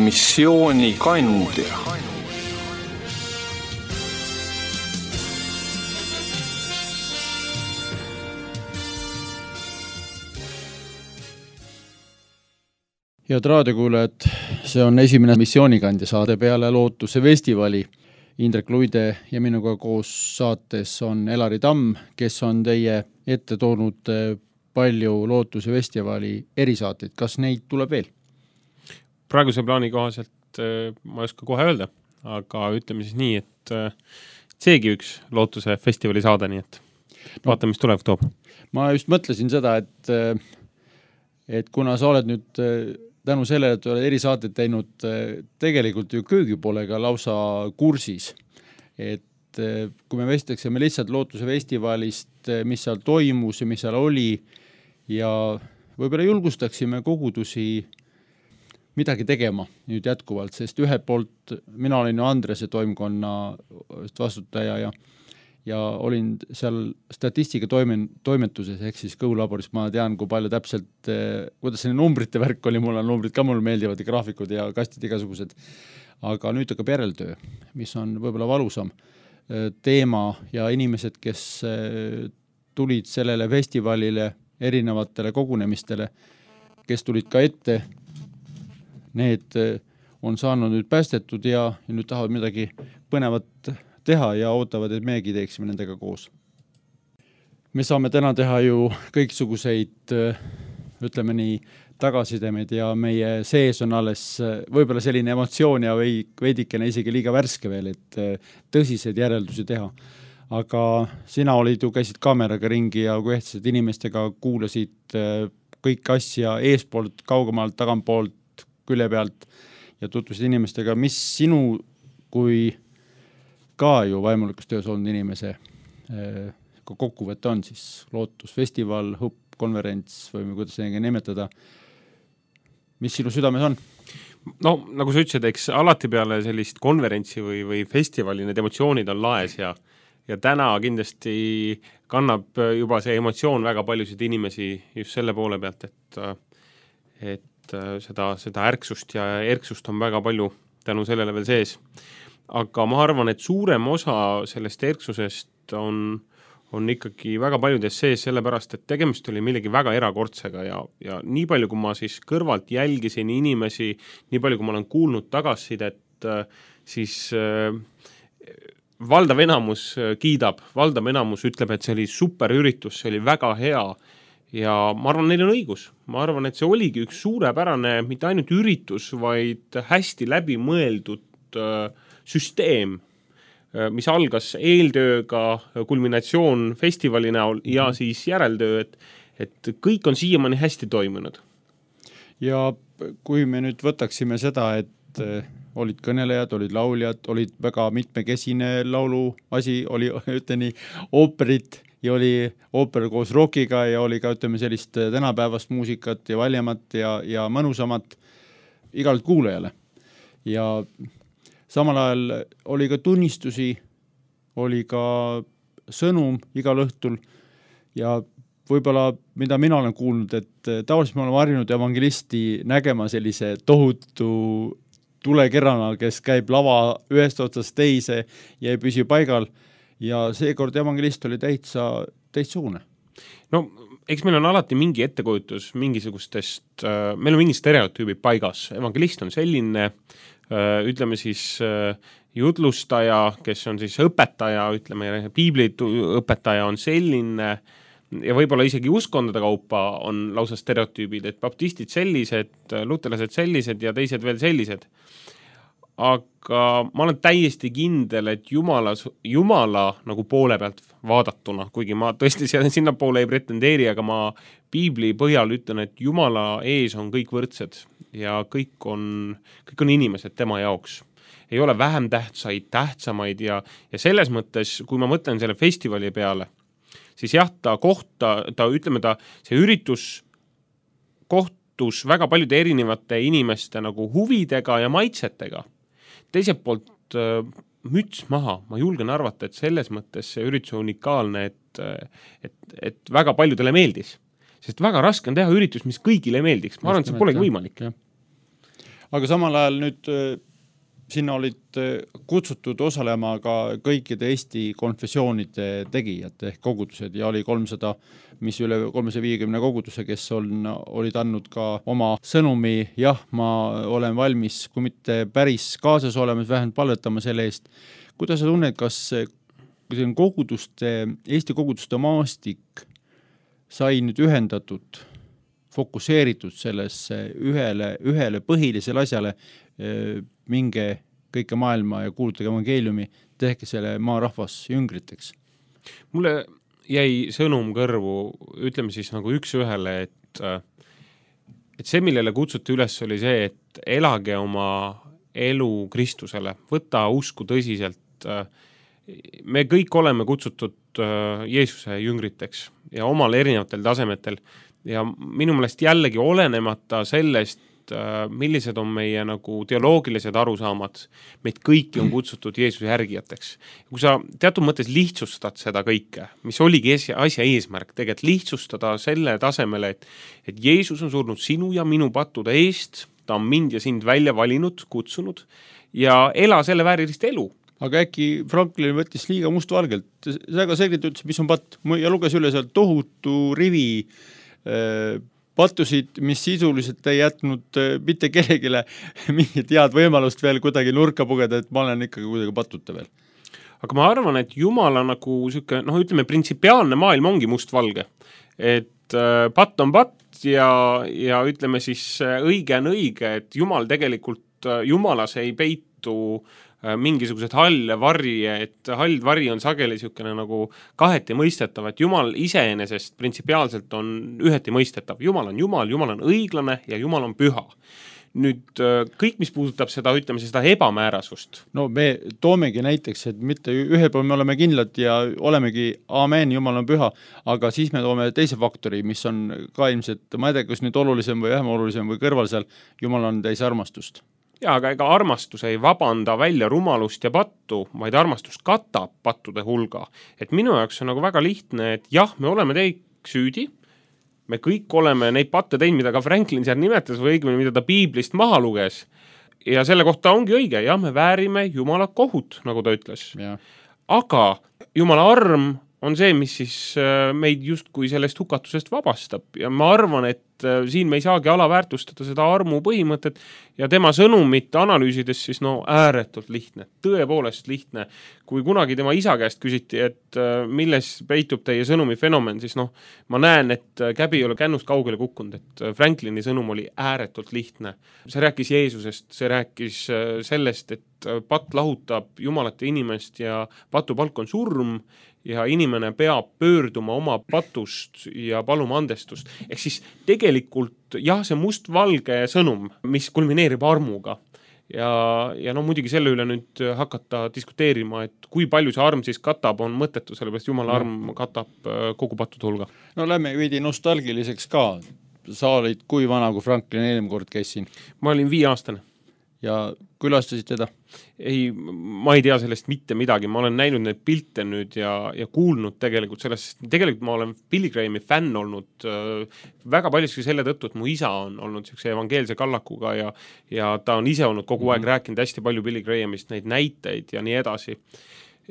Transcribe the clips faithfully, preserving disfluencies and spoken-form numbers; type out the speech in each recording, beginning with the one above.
missioonikandja. Head raadiokuulajad, see on esimene missioonikandja saade peale Lootuse festivali. Indrek Luide ja minuga koos saates on Elari Tamm, kes on teie ette toonud palju Lootuse festivali erisaateid. Kas neid tuleb veel? Praeguse plaani kohaselt ma ei oska kohe öelda, aga ütleme siis nii, et seegi üks Lootuse festivali saade, nii et vaatame, mis tuleb toob. Ma just mõtlesin seda, et, et kuna sa oled nüüd tänu sellele, et oled erisaateid teinud tegelikult ju köögipoolega lausa kursis. Et kui me vestleksime lihtsalt Lootuse festivalist, mis seal toimus ja mis seal oli ja võib-olla julgustaksime kogudusi midagi tegema nüüd jätkuvalt, sest ühelt poolt mina olin ju Andrese toimkonna vastutaja ja ja olin seal statistika toimen, toimetuses ehk siis kõhulaboris. Ma tean, kui palju täpselt, kuidas see numbrite värk oli, mul on numbrid ka mulle meeldivad ja graafikud ja kastid igasugused. Aga nüüd hakkab järeltöö, mis on võib-olla valusam teema ja inimesed, kes tulid sellele festivalile, erinevatele kogunemistele, kes tulid ka ette, need on saanud nüüd päästetud ja, ja nüüd tahavad midagi põnevat teha ja ootavad, et meiegi teeksime nendega koos. Me saame täna teha ju kõiksuguseid, ütleme nii, tagasisidemeid ja meie sees on alles võib-olla selline emotsioon ja või veidikene isegi liiga värske veel, et tõsiseid järeldusi teha. Aga sina olid ju, käisid kaameraga ringi ja kui ehtsid inimestega kuulasid kõik asja eespoolt, kaugemalt, tagantpoolt, külje pealt ja tutvusid inimestega, mis sinu kui ka ju vaimulikus töös olnud inimese kui kokkuvõte on siis Lootusfestival, H U P, konverents või kuidas seda nimetada. Mis sinu südames on? No, nagu sa ütlesid, eks alati peale sellist konverentsi või, või festivali need emotsioonid on laes ja, ja täna kindlasti kannab juba see emotsioon väga paljusid inimesi just selle poole pealt, et, et seda, seda ärksust ja erksust on väga palju tänu sellele veel sees. Aga ma arvan, et suurem osa sellest erksusest on, on ikkagi väga paljudes sees sellepärast, et tegemist oli millegi väga erakordsega ja, ja nii palju, kui ma siis kõrvalt jälgisin inimesi, nii palju, kui ma olen kuulnud tagasisidet, siis äh, valdav enamus kiidab, valdav enamus ütleb, et see oli super üritus, see oli väga hea ja ma arvan, neil on õigus. Ma arvan, et see oligi üks suurepärane, mitte ainult üritus, vaid hästi läbi mõeldud äh, süsteem, mis algas eeltööga, kulminatsioon festivali näol ja siis järeltöö, et, et kõik on siiamaani hästi toimunud. Ja kui me nüüd võtaksime seda, et olid kõnelejad, olid lauljad, olid väga mitmekesine laulu asi, oli ütleni ooperit ja oli ooper koos rockiga ja oli ka ütleme sellist tänapäevast muusikat ja valjamat ja, ja mõnusamat igalt kuulajale. Ja samal ajal oli ka tunnistusi, oli ka sõnum igal õhtul ja võib-olla, mida mina olen kuulnud, et tavaliselt ma olen varjunud evangelisti nägema sellise tohutu tulekerrana, kes käib lava ühest otsast teise ja ei püsi paigal ja seekord evangelist oli täitsa teistsugune. No, eks meil on alati mingi ettekujutus mingisugustest, meil on mingi stereotüübid paigas. Evangelist on selline, ütleme siis jutlustaja, kes on siis õpetaja, ütleme piiblit õpetaja on selline ja võib-olla isegi uskondade kaupa on lausa stereotüübid, et baptistid sellised, lutelased sellised ja teised veel sellised. Aga ma olen täiesti kindel, et Jumala, Jumala nagu poole pealt vaadatuna, kuigi ma tõesti sinna poole ei pretendeeri, aga ma piibli põhjal ütlen, et Jumala ees on kõik võrdsed ja kõik on, kõik on inimesed tema jaoks. Ei ole vähem tähtsaid, tähtsamaid ja, ja selles mõttes, kui ma mõtlen selle festivali peale, siis jah, ta kohta, ta ütleme ta, see üritus kohtus väga paljude erinevate inimeste nagu huvidega ja maitsetega. Teiselt poolt müts maha, ma julgen arvata, et selles mõttes see üritus on unikaalne, et, et, et väga paljudele meeldis. Sest väga raske on teha üritus, mis kõigile meeldiks. Ma arvan, et see polegi võimalik. Ja. aga samal ajal nüüd sinna olid kutsutud osalema ka kõikide Eesti konfessioonide tegijad ehk kogudused ja oli kolmsada, mis üle kolmesaja viiekümne koguduse, kes on, olid andnud ka oma sõnumi, jah, ma olen valmis, kui mitte päris kaasas olemas, vähemalt palvetama selle eest. Kuidas sa tunned, kas koguduste, Eesti koguduste maastik sai nüüd ühendatud, fokuseeritud sellesse ühele, ühele põhilisele asjale, minge kõike maailma ja kuulutage evangeeliumi, tehke selle maarahvas jüngriteks? Mulle jäi sõnum kõrvu, ütleme siis nagu üks ühele, et, et see, millele kutsuti üles, oli see, et elage oma elu Kristusele, võta usku tõsiselt. Me kõik oleme kutsutud Jeesuse jüngriteks ja omal erinevatel tasemetel ja minu meelest jällegi olenemata sellest, millised on meie nagu teoloogilised arusaamad, meid kõiki on kutsutud Jeesuse järgijateks. Kui sa teatud mõttes lihtsustad seda kõike, mis oligi asja eesmärk, tegelikult lihtsustada selle tasemele, et, et Jeesus on surnud sinu ja minu pattude eest, ta on mind ja sind välja valinud, kutsunud ja ela selle väärilist elu. Aga äkki Franklin võttis liiga mustvalgelt, väga selgelt ütles, mis on patt ja luges üle seal tohutu rivi äh, pattusid, mis sisuliselt ei jätnud mitte kellegile mingit head võimalust veel kuidagi nurka pugeda, et ma olen ikkagi kuidagi pattuta veel. Aga ma arvan, et Jumala nagu siuke, noh, ütleme, printsipiaalne maailm ongi mustvalge. Et patt on patt ja, ja ütleme siis õige on õige, et Jumal tegelikult, Jumalas ei peitu mingisugused halle varri, et hald vari on sageli siukene nagu kaheti mõistetav, et Jumal iseenesest printsipiaalselt on üheti mõistetav. Jumal on Jumal, Jumal on õiglane ja Jumal on püha. Nüüd kõik, mis puudutab seda, ütleme, seda ebamäärasust. No me toomegi näiteks, et mitte ühel pool me oleme kindlad ja olemegi aamen, Jumal on püha, aga siis me toome teise faktori, mis on ka ilmselt, ma ei tea, kas nüüd olulisem või vähem olulisem või kõrval seal, Jumal on täis armastust. Ja, aga ega armastus ei vabanda välja rumalust ja pattu, vaid armastus katab pattude hulga. Et minu jaoks on nagu väga lihtne, et jah, me oleme teik süüdi, me kõik oleme neid patte teinud, mida ka Franklin seal nimetas või õigemini, mida ta piiblist maha luges. Ja selle kohta ongi õige, jah, me väärime Jumala kohut, nagu ta ütles. Ja. Aga Jumala arm on see, mis siis meid justkui sellest hukatusest vabastab ja ma arvan, et siin me ei saagi alaväärtustada seda armu põhimõtet ja tema sõnumit analüüsides siis no ääretult lihtne, tõepoolest lihtne. Kui kunagi tema isa käest küsiti, et milles peitub teie sõnumi fenomen, siis noh, ma näen, et käbi ei ole kännust kaugele kukkunud, et Franklini sõnum oli ääretult lihtne. See rääkis Jeesusest, see rääkis sellest, et patt lahutab Jumalat ja inimest ja patu palk on surm ja inimene peab pöörduma oma patust ja paluma andestust. Ehk siis tegelikult jah, see mustvalge sõnum, mis kulmineerib armuga ja, ja no muidugi selle üle nüüd hakata diskuteerima, et kui palju see arm siis katab, on mõttetu, sellepärast Jumala arm katab kogu pattude hulga. No lähme veidi nostalgiliseks ka. Sa olid kui vana, kui Franklin eelmine kord käis siin? Ma olin viieaastane. Ja külastasid teda? Ei, ma ei tea sellest mitte midagi, ma olen näinud neid pilte nüüd ja, ja kuulnud tegelikult sellest, tegelikult ma olen Billy Grahami fänn olnud äh, väga paljuski selle tõttu, et mu isa on olnud siukse evangeelse kallakuga ja, ja ta on ise olnud kogu aeg mm-hmm. rääkinud hästi palju Billy Grahamist, neid näiteid ja nii edasi.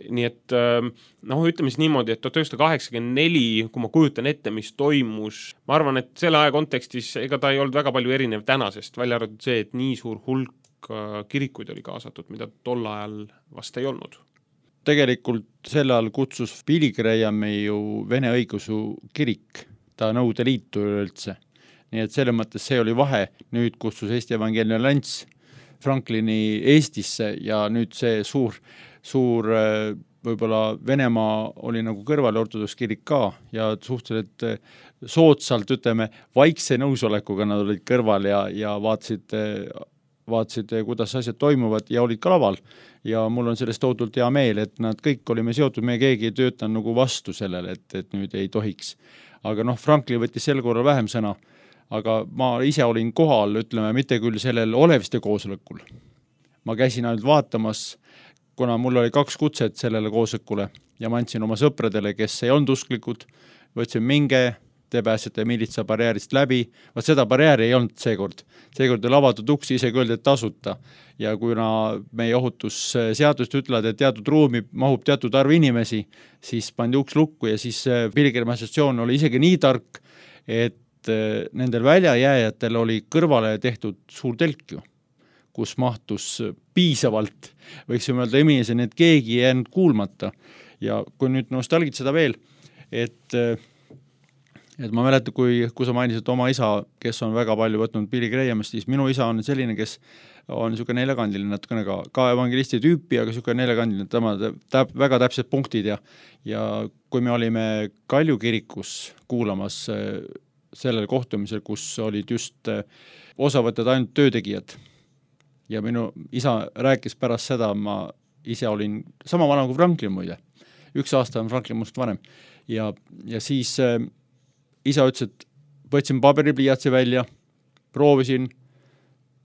Nii et noh, ütleme siis niimoodi, et tuhat üheksasada kaheksakümmend neli, kui ma kujutan ette, mis toimus, ma arvan, et selle aja kontekstis ega ta ei olnud väga palju erinev tänasest, välja arvatud see, et nii suur hulk kirikuid oli kaasatud, mida tol ajal vast ei olnud. Tegelikult sel ajal kutsus Billy Grahami ju Vene õigeusu kirik, ta Nõukogude Liitu üldse. Nii et selle mõttes see oli vahe, nüüd kutsus Eesti Evangeelne Allianss Franklini Eestisse ja nüüd see suur, suur võib-olla Venemaa oli nagu kõrval ortodoks kirik ka ja suhteliselt soodsalt, ütleme, vaikse nõusolekuga nad olid kõrval ja, ja vaatasid vaatasid, kuidas asjad toimuvad ja olid ka laval. Ja mul on sellest tohutult hea meel, et nad kõik olime seotud, me keegi ei töötanud nagu vastu sellele, et, et nüüd ei tohiks. Aga noh, Franklin võttis sel korral vähem sõna, aga ma ise olin kohal, ütleme, mitte küll sellel Oleviste koosolekul. Ma käisin ainult vaatamas, kuna mul oli kaks kutset sellele koosolekule ja ma andsin oma sõpradele, kes ei olnud usklikud, võtsin minge, te pääsete miilitsa barjäärist läbi, vaat seda barjääri ei olnud seekord. Seekord oli avatud uksi, isegi öeldi, et tasuta. Ja kuna meie ohutusseadust ütlevad, et teatud ruumi mahub teatud arv inimesi, siis pandi uks lukku ja siis pilgrimasjatsioon oli isegi nii tark, et nendel väljajääjatel oli kõrvale tehtud suur telk ju, kus mahtus piisavalt, võiksime öelda inimeseni, et keegi ei jäänud kuulmata. Ja kui nüüd nostalgid seda veel, et, et ma mäletan, kui, kui sa mainisid oma isa, kes on väga palju võtnud Billy Grahamist, siis minu isa on selline, kes on niisugune neljakandiline natukene ka, ka evangelisti tüüpi, aga niisugune neljakandiline, tema täp, väga täpsed punktid ja, ja kui me olime Kalju kirikus kuulamas sellel kohtumisel, kus olid just osavõtted ainult töötegijad ja minu isa rääkis pärast seda, ma ise olin sama vana kui Franklin muide, üks aasta on Franklin must vanem ja, ja siis äh, isa ütles, et võtsin paberipliiatsi välja, proovisin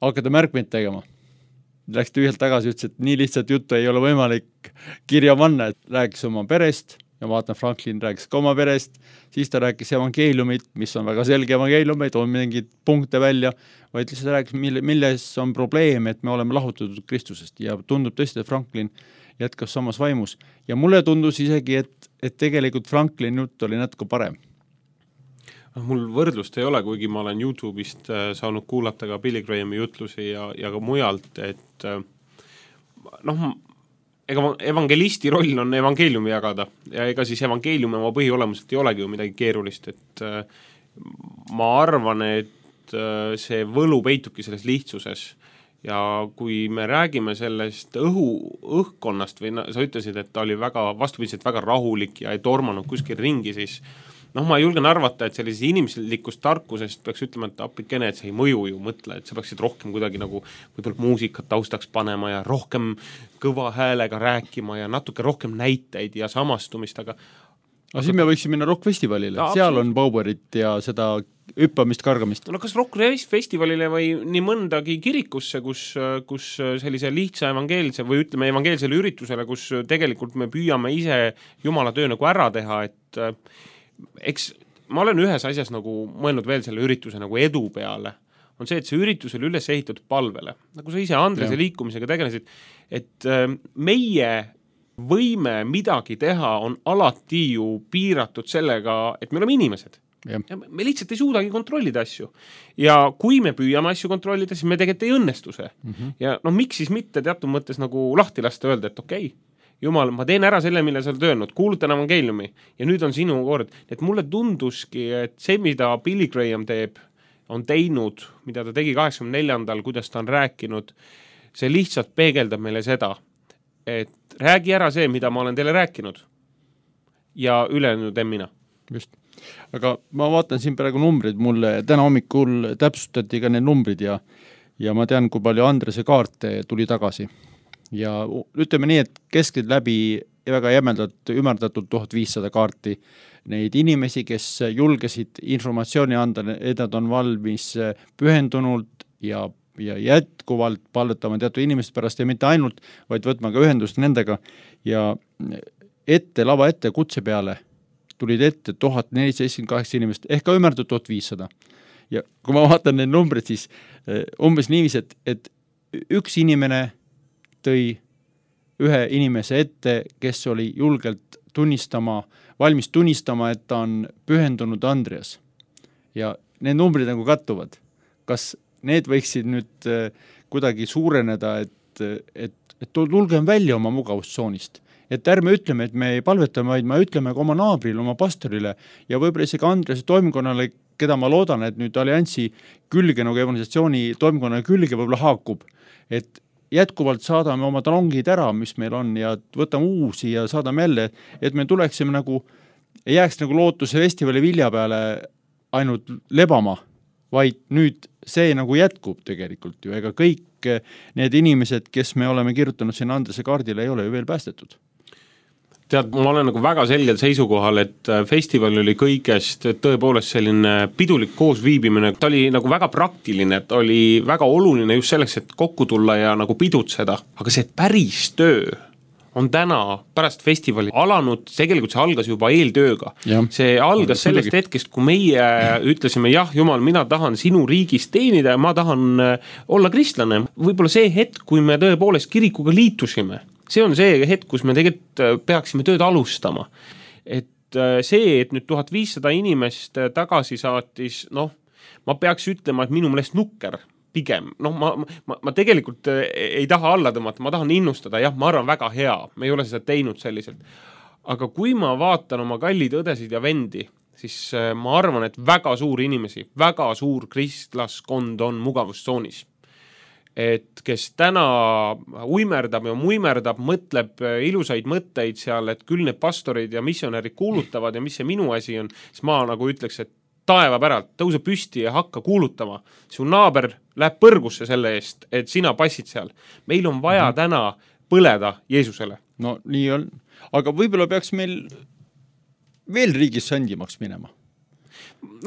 hakata märkmeid tegema. Läks tühjalt tagasi, ütles, et nii lihtsalt juttu ei ole võimalik kirja panna, et rääkis oma perest ja vaatan, Franklin rääkis ka oma perest, siis ta rääkis evangeeliumit, mis on väga selge evangeelium, ei too mingid punkte välja, vaid lihtsalt rääkis, mille, milles on probleem, et me oleme lahutatud Kristusest ja tundub tõesti, et Franklin jätkas samas vaimus. Ja mulle tundus isegi, et, et tegelikult Franklin jutt oli natuke parem. Mul võrdlust ei ole, kuigi ma olen YouTube'ist saanud kuulata ka Billy Grahami jutlusi ja, ja ka mujalt, et noh, ega evangelisti roll on evangeeliumi jagada ja ega siis evangeeliumi oma põhiolemuselt ei olegi ju midagi keerulist, et ma arvan, et see võlu peitubki selles lihtsuses ja kui me räägime sellest õhu, õhkkonnast või sa ütlesid, et ta oli väga vastupidiselt väga rahulik ja ei tormanud kuskil ringi, siis noh, ma julgen arvata, et sellisest inimlikust tarkusest peaks ütlema, et appikene, et see ei mõju ju mõtle, et sa peaksid rohkem kuidagi nagu võib-olla muusikat taustaks panema ja rohkem kõva häälega rääkima ja natuke rohkem näiteid ja samastumist, aga aga siin me võiksime minna rock-festivalile, ja, seal on Bauberit ja seda hüppamist, kargamist. No kas rock-festivalile või nii mõndagi kirikusse, kus, kus sellise lihtsa evangeelse või ütleme evangeelsele üritusele, kus tegelikult me püüame ise Jumala töö nagu ära teha, et eks ma olen ühes asjas nagu mõelnud veel selle ürituse nagu edu peale, on see, et see üritus oli üles ehitatud palvele. Nagu sa ise Andrese liikumisega tegelesid, et meie võime midagi teha on alati ju piiratud sellega, et me oleme inimesed. Ja. Ja me lihtsalt ei suudagi kontrollida asju. Ja kui me püüame asju kontrollida, siis me tegelikult ei õnnestu see. Mm-hmm. Ja no miks siis mitte teatud mõttes nagu lahti lasta öelda, et okei, okay, Jumal, ma teen ära selle, mille sa oled öelnud, kuulutan evangeeliumi ja nüüd on sinu kord. Et mulle tunduski, et see, mida Billy Graham teeb, on teinud, mida ta tegi kaheksakümne neljandal, kuidas ta on rääkinud, see lihtsalt peegeldab meile seda, et räägi ära see, mida ma olen teile rääkinud ja ülejäänud en mina. Just. Aga ma vaatan siin praegu numbrid, mulle täna hommikul täpsustati ka need numbrid ja, ja ma tean, kui palju Andrese kaarte tuli tagasi. Ja ütleme nii, et keskelt läbi väga jämedalt ümerdatud tuhat viissada kaarti neid inimesi, kes julgesid informatsiooni anda, et nad on valmis pühendunult ja, ja jätkuvalt palvetama teatud inimesed pärast ja mitte ainult, vaid võtma ka ühendust nendega ja ette, lava ette kutse peale tulid ette tuhat nelisada seitsekümmend kaheksa inimest ehk ka ümerdatud tuhat viissada. Ja kui ma vaatan need numbrid, siis umbes niivis, et, et üks inimene tõi ühe inimese ette, kes oli julgelt tunnistama, valmis tunnistama, et ta on pühendunud Andreas. Ja need numbrid nagu kattuvad. Kas need võiksid nüüd kuidagi suureneda, et, et, et tulgem välja oma mugavustsoonist? Et ärme ütleme, et me ei palvetame, vaid me ütleme ka oma naabrile, oma pastorile ja võib-olla isegi Andrese toimkonnale, keda ma loodan, et nüüd alliansi külge, nagu evangelisatsiooni toimkonna külge võib-olla haakub, et jätkuvalt saadame oma talongid ära, mis meil on ja võtame uusi ja saadame jälle, et me tuleksime nagu, ei jääks nagu lootuse festivali vilja peale ainult lebama, vaid nüüd see nagu jätkub tegelikult ju, ega kõik need inimesed, kes me oleme kirjutanud siin Andrese kaardile, ei ole ju veel päästetud. Tead, ma olen nagu väga selgel seisukohal, et festival oli kõigest tõepoolest selline pidulik koosviibimine, ta oli nagu väga praktiline, ta oli väga oluline just selleks, et kokku tulla ja nagu pidutseda, aga see päris töö on täna pärast festivali alanud, tegelikult see algas juba eeltööga. Ja. See algas sellest Muidugi. hetkest, kui meie ütlesime, jah, jumal, mina tahan sinu riigis teenida ja ma tahan olla kristlane. Võib-olla see hetk, kui me tõepoolest kirikuga liitusime, see on see hetk, kus me tegelikult peaksime tööd alustama. Et see, et nüüd tuhat viissada inimest tagasi saatis, noh, ma peaks ütlema, et minu meelest nukker pigem, noh, ma, ma, ma tegelikult ei taha alla tõmmata, ma tahan innustada, jah, ma arvan väga hea, me ei ole seda teinud selliselt. Aga kui ma vaatan oma kallid õdesid ja vendi, siis ma arvan, et väga suur inimesi, väga suur kristlaskond on mugavustsoonis. Et kes täna uimerdab ja muimerdab, mõtleb ilusaid mõtteid seal, et küll need pastorid ja missionärid kuulutavad ja mis see minu asi on, siis ma nagu ütleks, et taeva päralt, tõuse püsti ja hakka kuulutama. Su naaber läheb põrgusse selle eest, et sina passid seal. Meil on vaja mm-hmm. täna põleda Jeesusele. No nii on. Aga võib-olla peaks meil veel riigis sandimaks minema.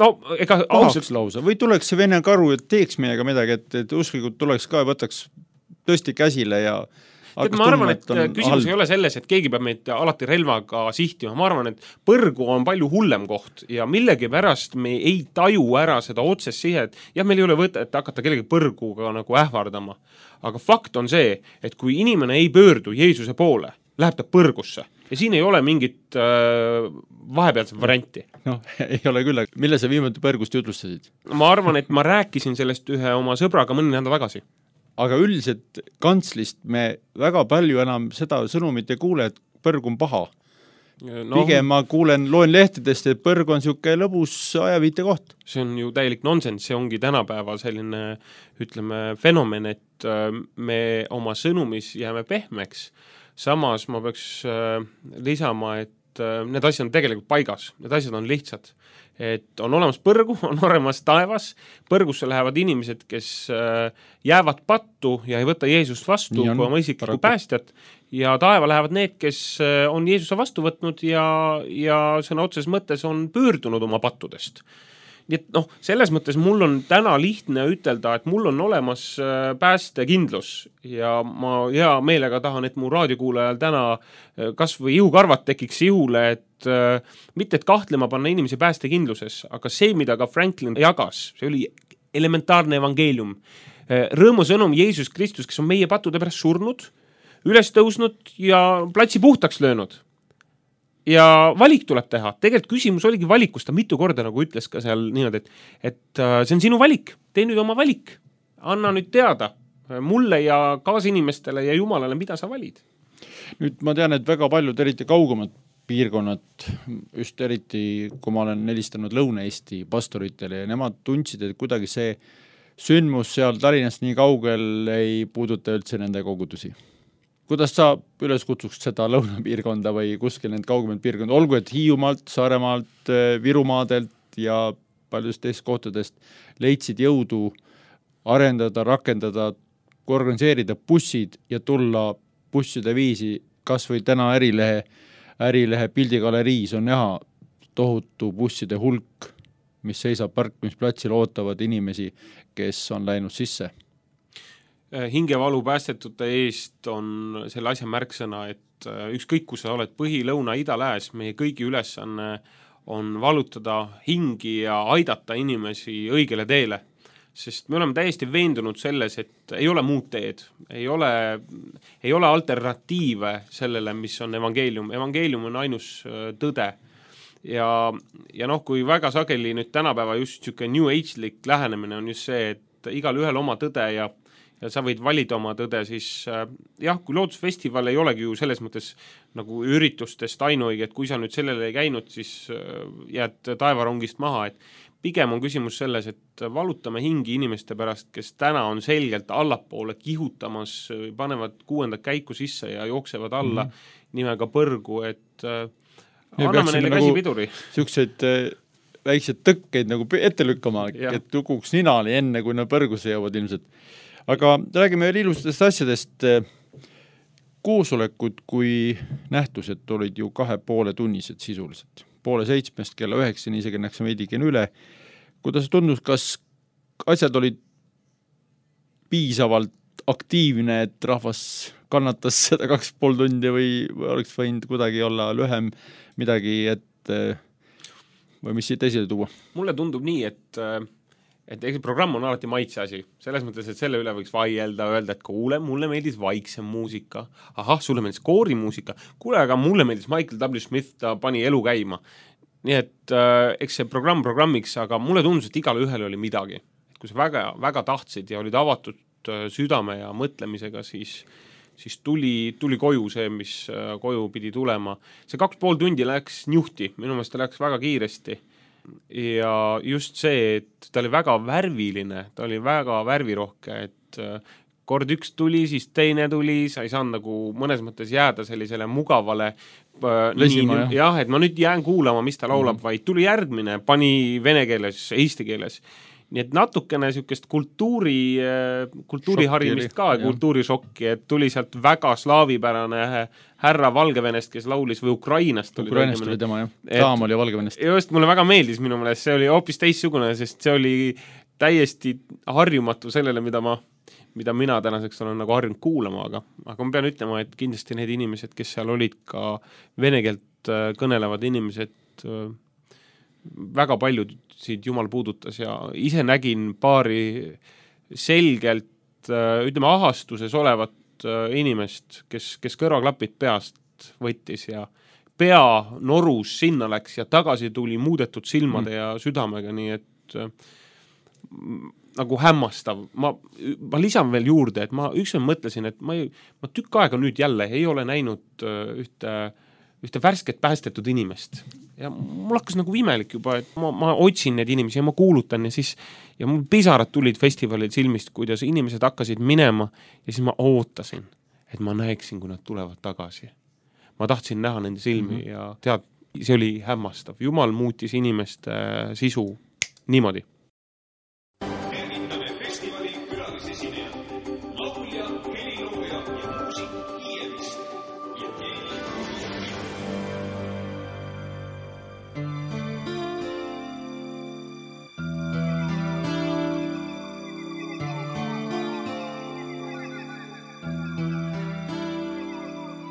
No ega ausalt lausa. Või tuleks see vene karu, et teeks meiega midagi, et, et usklikud tuleks ka ja võtaks tõesti käsile ja Tead, ma arvan, et küsimus halb. Ei ole selles, et keegi peab meid alati relvaga sihtima. Ma arvan, et põrgu on palju hullem koht ja millegi pärast me ei taju ära seda otsest sihet. Jah, meil ei ole võtta, et hakata kellegi põrguga nagu ähvardama. Aga fakt on see, et kui inimene ei pöördu Jeesuse poole, läheb ta põrgusse ja siin ei ole mingit äh, vahepealset varianti. No, ei ole küll. Mille sa viimati põrgust jutlustasid? Ma arvan, et ma rääkisin sellest ühe oma sõbraga mõni nädal tagasi. Aga üldiselt kantslist me väga palju enam seda sõnumit ei kuule, et põrg on paha. No, pigem ma kuulen, loen lehtedest, et põrg on siuke lõbus ajaviite koht. See on ju täielik nonsens, see ongi tänapäeval selline, ütleme, fenomen, et me oma sõnumis jääme pehmeks. Samas ma peaks lisama, et need asjad on tegelikult paigas, need asjad on lihtsad. Et on olemas põrgu, on olemas taevas, põrgusse lähevad inimesed, kes jäävad pattu ja ei võta Jeesust vastu kui oma isiklikku päästjat ja taeva lähevad need, kes on Jeesuse vastu võtnud ja, ja sõna otses mõttes on pöördunud oma pattudest. Nii et noh, selles mõttes mul on täna lihtne ütelda, et mul on olemas päästekindlus ja ma hea meelega tahan, et mu raadiokuulajal täna kas või ihukarvad tekiks ihule, et äh, mitte et kahtlema panna inimesi päästekindluses, aga see, mida ka Franklin jagas, see oli elementaarne evangeelium. Rõõmusõnum Jeesus Kristus, kes on meie pattude pärast surnud, üles tõusnud ja platsi puhtaks löönud. Ja valik tuleb teha. Tegelikult küsimus oligi valikust, ta mitu korda nagu ütles ka seal niimoodi, et, et uh, see on sinu valik, tee nüüd oma valik. Anna nüüd teada mulle ja kaasinimestele ja Jumalale, mida sa valid. Nüüd ma tean, et väga paljud eriti kaugemad piirkonnad, just eriti kui ma olen helistanud Lõuna-Eesti pastoritele ja nemad tundsid, et kuidagi see sündmus seal Tallinnast nii kaugel ei puuduta üldse nende kogudusi. Kuidas sa üles kutsuks seda lõunapiirkonda või kuskil need kaugemad piirkonda, olgu et Hiiumaalt, Saaremaalt, Virumaadelt ja paljudest teist kohtadest leidsid jõudu arendada, rakendada, organiseerida bussid ja tulla busside viisi, kas või täna ärilehe, ärilehe pildigaleriis on näha tohutu busside hulk, mis seisab parkimisplatsil, ootavad inimesi, kes on läinud sisse. Hingevalu päästetute eest on selle asja märksõna, et ükskõik, kus sa oled põhi, lõuna, ida, lääs, meie kõigi ülesanne on valutada hingi ja aidata inimesi õigele teele. Sest me oleme täiesti veendunud selles, et ei ole muud teed, ei ole, ei ole alternatiive sellele, mis on evangeelium. Evangeelium on ainus tõde. Ja, ja noh, kui väga sageli nüüd tänapäeva just siuke New Age-lik lähenemine on just see, et igal ühel oma tõde ja ja sa võid valida oma tõde, siis jah, kui loodusfestival ei olegi ju selles mõttes nagu üritustest ainuõige, et kui sa nüüd sellele ei käinud, siis jääd taevarongist maha, et pigem on küsimus selles, et valutame hingi inimeste pärast, kes täna on selgelt allapoole kihutamas, panevad kuuendat käiku sisse ja jooksevad alla mm -hmm. nimega põrgu, et ja anname neile käsi nagu piduri. Siukseid väiksed tõkkeid nagu ette lükkama, ja. Et tukuks ninali enne, kui nad põrgusse jõuavad ilmselt. Aga räägime veel ilustest asjadest. Koosolekud kui nähtused olid ju kahe poole tunnised sisuliselt. Poole seitsmest kella üheksani, isegi näksime veidikene üle. Kuidas tundus, kas asjad olid piisavalt aktiivne, et rahvas kannatas seda kaks pool tundi või oleks võinud kuidagi olla lühem midagi, et või mis siit esile tuua? Mulle tundub nii, et et eks programm on alati maitse asi. Selles mõttes, et selle üle võiks vaielda, öelda, et kuule, mulle meeldis vaiksem muusika. Ahah, sulle meeldis koorimuusika. Kuule, aga mulle meeldis Michael W. Smith, ta pani elu käima. Nii et äh, eks see programm programmiks, aga mulle tundus, et igale ühele oli midagi. Et kui sa väga, väga tahtsid ja olid avatud äh, südame ja mõtlemisega, siis, siis tuli, tuli koju see, mis äh, koju pidi tulema. See kaks pool tundi läks njuhti, minu meelest ta läks väga kiiresti. Ja just see, et ta oli väga värviline, ta oli väga värvirohke, et kord üks tuli, siis teine tuli, sa ei saanud nagu mõnes mõttes jääda sellisele mugavale Lesima, nii, jah, et ma nüüd jään kuulama, mis ta laulab, mm. vaid tuli järgmine, pani vene keeles, eesti keeles. Nii et natukene niisugust kultuuri, kultuuriharimist ka, kultuurishokki, et tuli sealt väga slaavipärane härra Valgevenest, kes laulis või Ukrainast. Ukrainast oli tema, jah. Taam oli Valgevenest. Just, mulle väga meeldis minu meelest, see oli hoopis teistsugune, sest see oli täiesti harjumatu sellele, mida ma mida mina tänaseks olen nagu harjunud kuulama, aga, aga ma pean ütlema, et kindlasti need inimesed, kes seal olid ka vene keelt kõnelevad inimesed, väga paljud siit jumal puudutas ja ise nägin paari selgelt, ütleme, ahastuses olevat inimest, kes, kes kõrvaklapid peast võttis ja pea norus sinna läks ja tagasi tuli muudetud silmade mm. ja südamega, nii et nagu hämmastav. Ma, ma lisan veel juurde, et ma ükskord mõtlesin, et ma, ei, ma tükk aega nüüd jälle ei ole näinud ühte, ühte värsket päästetud inimest. Ja mul hakkas nagu imelik juba, et ma, ma otsin need inimesi ja ma kuulutan ja siis ja mul pisarad tulid festivalil silmist, kuidas inimesed hakkasid minema ja siis ma ootasin, et ma näeksin, kui nad tulevad tagasi. Ma tahtsin näha nende silmi mm-hmm. ja tead, see oli hämmastav. Jumal muutis inimeste sisu niimoodi.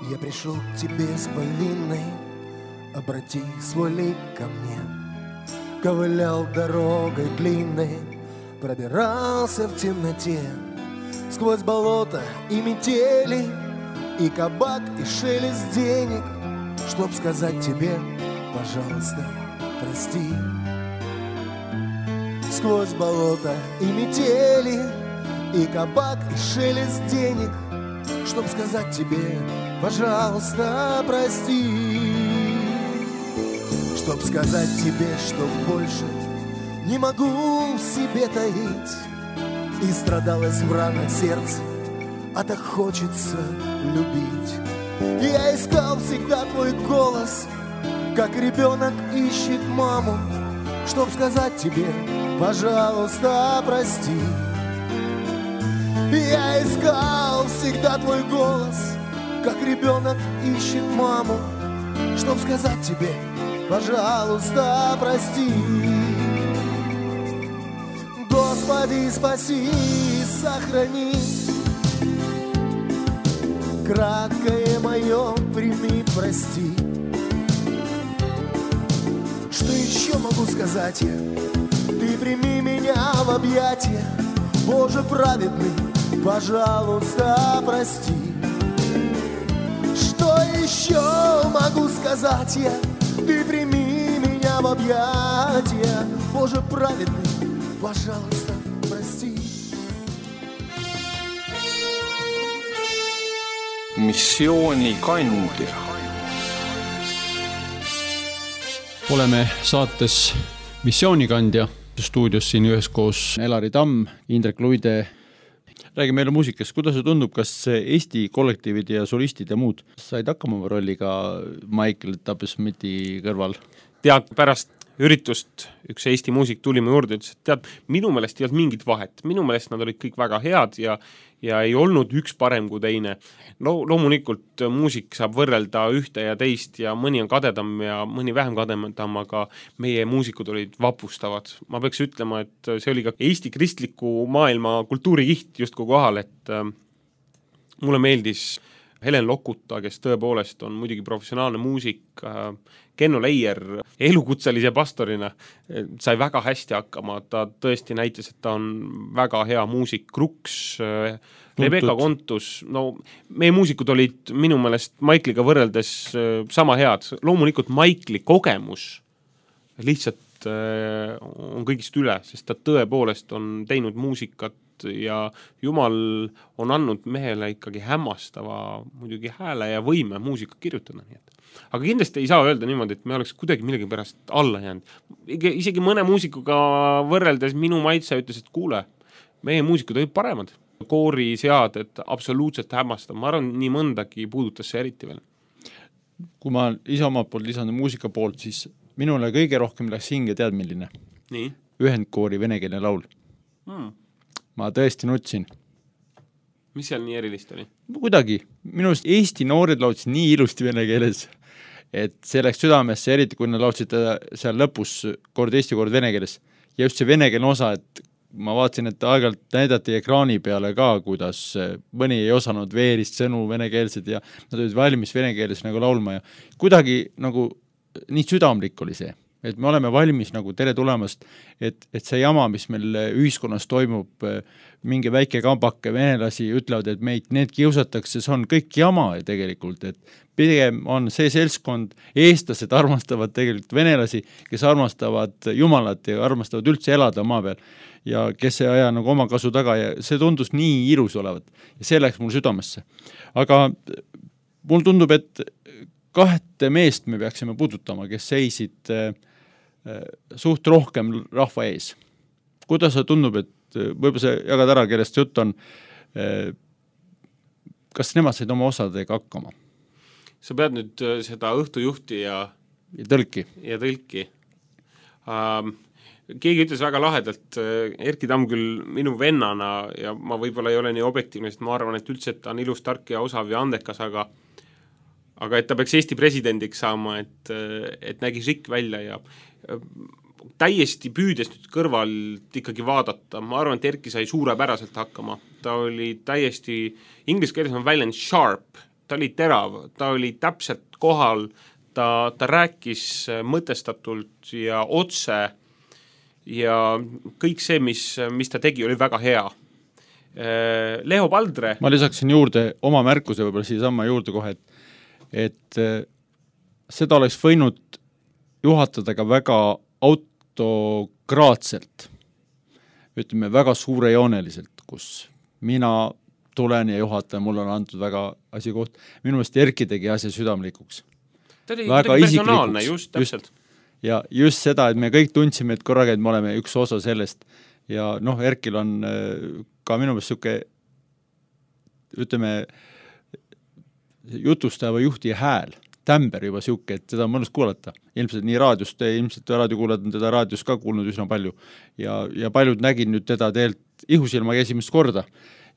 Я пришел к тебе с повинной, обрати свой лик ко мне. Ковылял дорогой длинной, пробирался в темноте, сквозь болото и метели, и кабак, и шелест денег, чтоб сказать тебе, пожалуйста, прости. Сквозь болото и метели, и кабак, и шелест денег, чтоб сказать тебе, пожалуйста, прости. Чтоб сказать тебе, что больше не могу в себе таить, и страдалось в ранах сердце, а так хочется любить. Я искал всегда твой голос, как ребенок ищет маму, чтоб сказать тебе, пожалуйста, прости. Я искал всегда твой голос, как ребенок ищет маму, чтоб сказать тебе, пожалуйста, прости. Господи, спаси, сохрани, краткое мое прими, прости. Что еще могу сказать я? Ты прими меня в объятия, Боже праведный, пожалуйста, прости. Что еще могу сказать я? Ты прими меня в объятия, Боже праведный, пожалуйста, прости. Missioonikandja. Oleme saates Missioonikandja. Stuudios siin üheskoos Elari Tamm, Indrek Luide. Räägi meile muusikast, kuidas see tundub, kas Eesti kollektiivid ja solistid ja muud said hakkama rolliga Michael W. Smithi kõrval? Tead, pärast üritust üks Eesti muusik tuli mu juurde, ütles, et tead, minu meelest ei olnud mingit vahet. Minu meelest nad olid kõik väga head ja, ja ei olnud üks parem kui teine. No, loomulikult muusik saab võrrelda ühte ja teist ja mõni on kadedam ja mõni vähem kadedam, aga meie muusikud olid vapustavad. Ma peaks ütlema, et see oli ka Eesti kristliku maailma kultuurikiht just kohal, et mulle meeldis Helen Lokuta, kes tõepoolest on muidugi professionaalne muusik, Kenno Leier elukutselise pastorina sai väga hästi hakkama, ta tõesti näitas, et ta on väga hea muusik, Kruks, Rebecca Kontus, no meie muusikud olid minu meelest Maikliga võrreldes sama head, loomulikult Maikli kogemus lihtsalt on kõigist üle, sest ta tõepoolest on teinud muusikat ja Jumal on andnud mehele ikkagi hämmastava muidugi hääle ja võime muusika kirjutada, nii et aga kindlasti ei saa öelda niimoodi, et me oleks kuidagi millegi pärast alla jäänud. Isegi mõne muusikuga võrreldes minu maitse ütles, et kuule, meie muusikud olid paremad. Koori seaded absoluutselt hämmastav. Ma arvan, nii mõndagi puudutas see eriti veel. Kui ma ise omalt poolt lisan muusika poolt, siis minule kõige rohkem läks hinge tead milline. Nii? Ühendkoori venekeelne laul. Hmm. Ma tõesti nutsin. Mis seal nii erilist oli? Kuidagi. Minu arust Eesti noored laulsid nii ilusti vene keeles, et see läks südamesse, eriti kui nad laulsid seal lõpus kord eesti kord vene keeles. Ja just see venekeelne osa, et ma vaatasin, et aegalt näidati ekraani peale ka, kuidas mõni ei osanud veerist sõnu venekeelsed ja nad olid valmis venekeeles nagu laulma ja kuidagi nagu nii südamlik oli see. Et me oleme valmis nagu tere tulemast, et, et see jama, mis meil ühiskonnas toimub, mingi väike kambake venelasi ütlevad, et meid need kiusatakse, see on kõik jama tegelikult, et pigem on see seltskond, eestlased armastavad tegelikult venelasi, kes armastavad Jumalat ja armastavad üldse elada maa peal ja kes ei aja nagu oma kasu taga ja see tundus nii ilus olevat ja see läks mul südamesse. Aga mul tundub, et kahte meest me peaksime puudutama, kes seisid äh, suht rohkem rahva ees. Kuidas see tundub, et võib-olla see jagad ära, kellest jutt on, äh, kas nemad said oma osadega hakkama? Sa pead nüüd seda õhtujuhti ja, ja tõlki. Ja tõlki. Um, keegi ütles väga lahedalt, Erki Tamm küll minu vennana ja ma võib-olla ei ole nii objektiivne, sest ma arvan, et üldse et ta on ilus, tark ja osav ja andekas, aga aga et ta peaks Eesti presidendiks saama, et, et nägi šikk välja ja täiesti püüdes nüüd kõrvalt ikkagi vaadata, ma arvan, et Erki sai suurepäraselt hakkama. Ta oli täiesti, inglise keeles on väljend sharp, ta oli terav, ta oli täpselt kohal, ta, ta rääkis mõtestatult ja otse ja kõik see, mis, mis ta tegi, oli väga hea. Leo Paldre. Ma lisaksin juurde oma märkuse võib-olla siia sama juurde kohe, et et seda oleks võinud juhatada ka väga autokraatselt, ütleme väga suurejooneliselt, kus mina tulen ja juhataja, mul on antud väga asi koht. Minu meelest Erki tegi asja südamlikuks. Ta oli väga personaalne, just täpselt. Just, ja just seda, et me kõik tundsime, et korraga, et me oleme üks osa sellest ja noh, Erkil on ka minu meelest siuke, ütleme, jutustava juhti hääl, tämber juba siuke, et seda on mõnus kuulata. Ilmselt nii raadiost, ilmselt raadiokuulajad on teda raadios ka kuulnud üsna palju ja, ja paljud nägid nüüd teda teelt ihusilmaga esimest korda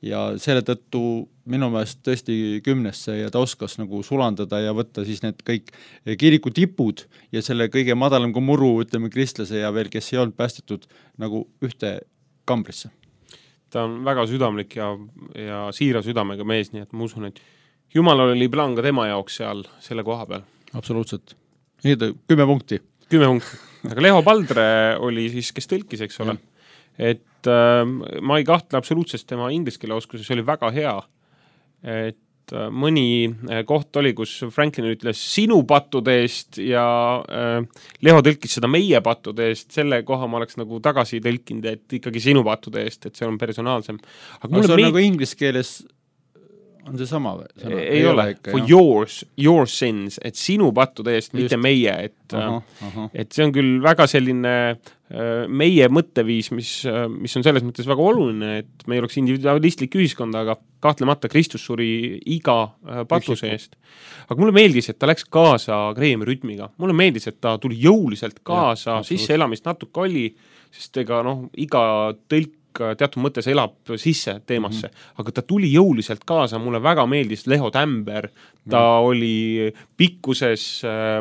ja selle tõttu minu meelest tõesti kümnesse ja ta oskas nagu sulandada ja võtta siis need kõik kiriku tipud ja selle kõige madalam kui muru, ütleme kristlase ja veel, kes ei olnud päästetud nagu ühte kambrisse. Ta on väga südamlik ja, ja siira südamega mees, nii et ma usun, et Jumal oli plaan ka tema jaoks seal selle koha peal. Absoluutselt. Nii, kümme punkti. Kümme punkti. Aga Leo Paldre oli siis, kes tõlkis, eks ole. Et äh, ma ei kahtle absoluutselt tema ingliskeele oskuses, oli väga hea. Et äh, mõni koht oli, kus Franklin ütles sinu pattude eest ja äh, Leo tõlkis seda meie pattude eest. Selle koha ma oleks nagu tagasi tõlkinud, et ikkagi sinu pattude eest, et see on personaalsem. Aga, Aga see on meid... nagu inglise keeles on see sama või? Ei, ei ole, ikka, for yours, your sins, et sinu pattude eest, mitte meie, et, aha, aha. et see on küll väga selline meie mõtteviis, mis, mis on selles mõttes väga oluline, et me ei oleks individualistlik ühiskond, aga kahtlemata Kristus suri iga patuse eest. Aga mulle meeldis, et ta läks kaasa Grahami rütmiga. Mulle meeldis, et ta tuli jõuliselt kaasa, ja, sisse elamist natuke oli, sest ega noh, iga tõlk teatud mõttes elab sisse teemasse, mm-hmm. aga ta tuli jõuliselt kaasa, mulle väga meeldis Leho Tämber, ta mm. oli pikkuses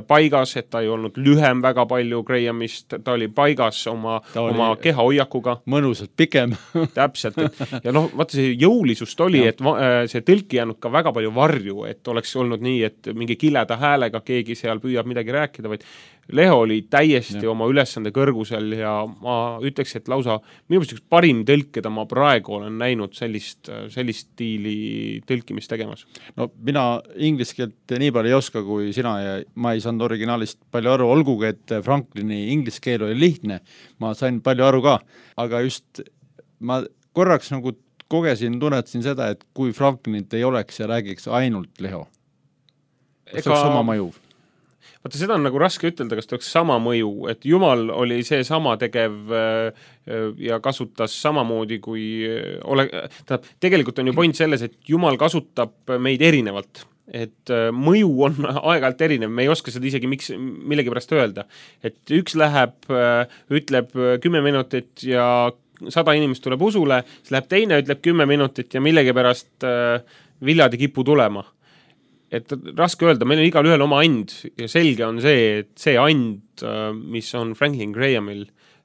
paigas, et ta ei olnud lühem väga palju Grahamist, ta oli paigas oma, oma kehahoiakuga. Mõnusalt pikem. Täpselt. Et, ja noh, vaata see jõulisust oli, ja. et see tõlki jäänud ka väga palju varju, et oleks olnud nii, et mingi kileda häälega keegi seal püüab midagi rääkida, vaid Leho oli täiesti ja. oma ülesande kõrgusel ja ma ütleks, et lausa minu meelest üks parim tõlk, keda ma praegu olen näinud sellist, sellist stiili tõlkimist tegemas. No mina inglise keelt nii palju ei oska kui sina ja ma ei saanud originaalist palju aru, olgugi, et Franklini inglise keel oli lihtne, ma sain palju aru ka, aga just ma korraks nagu kogesin, tunnetasin seda, et kui Franklinit ei oleks ja räägiks ainult Leho, see oleks sama mõju. Vaata, seda on nagu raske ütelda, kas ta oleks sama mõju, et Jumal oli see sama tegev ja kasutas samamoodi kui ole, ta, tegelikult on ju point selles, et Jumal kasutab meid erinevalt, et mõju on aeg-ajalt erinev, me ei oska seda isegi miks, millegi pärast öelda, et üks läheb, ütleb kümme minutit ja sada inimest tuleb usule, siis läheb teine, ütleb kümme minutit ja millegi pärast viljad ei kipu tulema. Et raske öelda, meil on igal ühel oma and ja selge on see, et see and, mis on Franklin Grahamil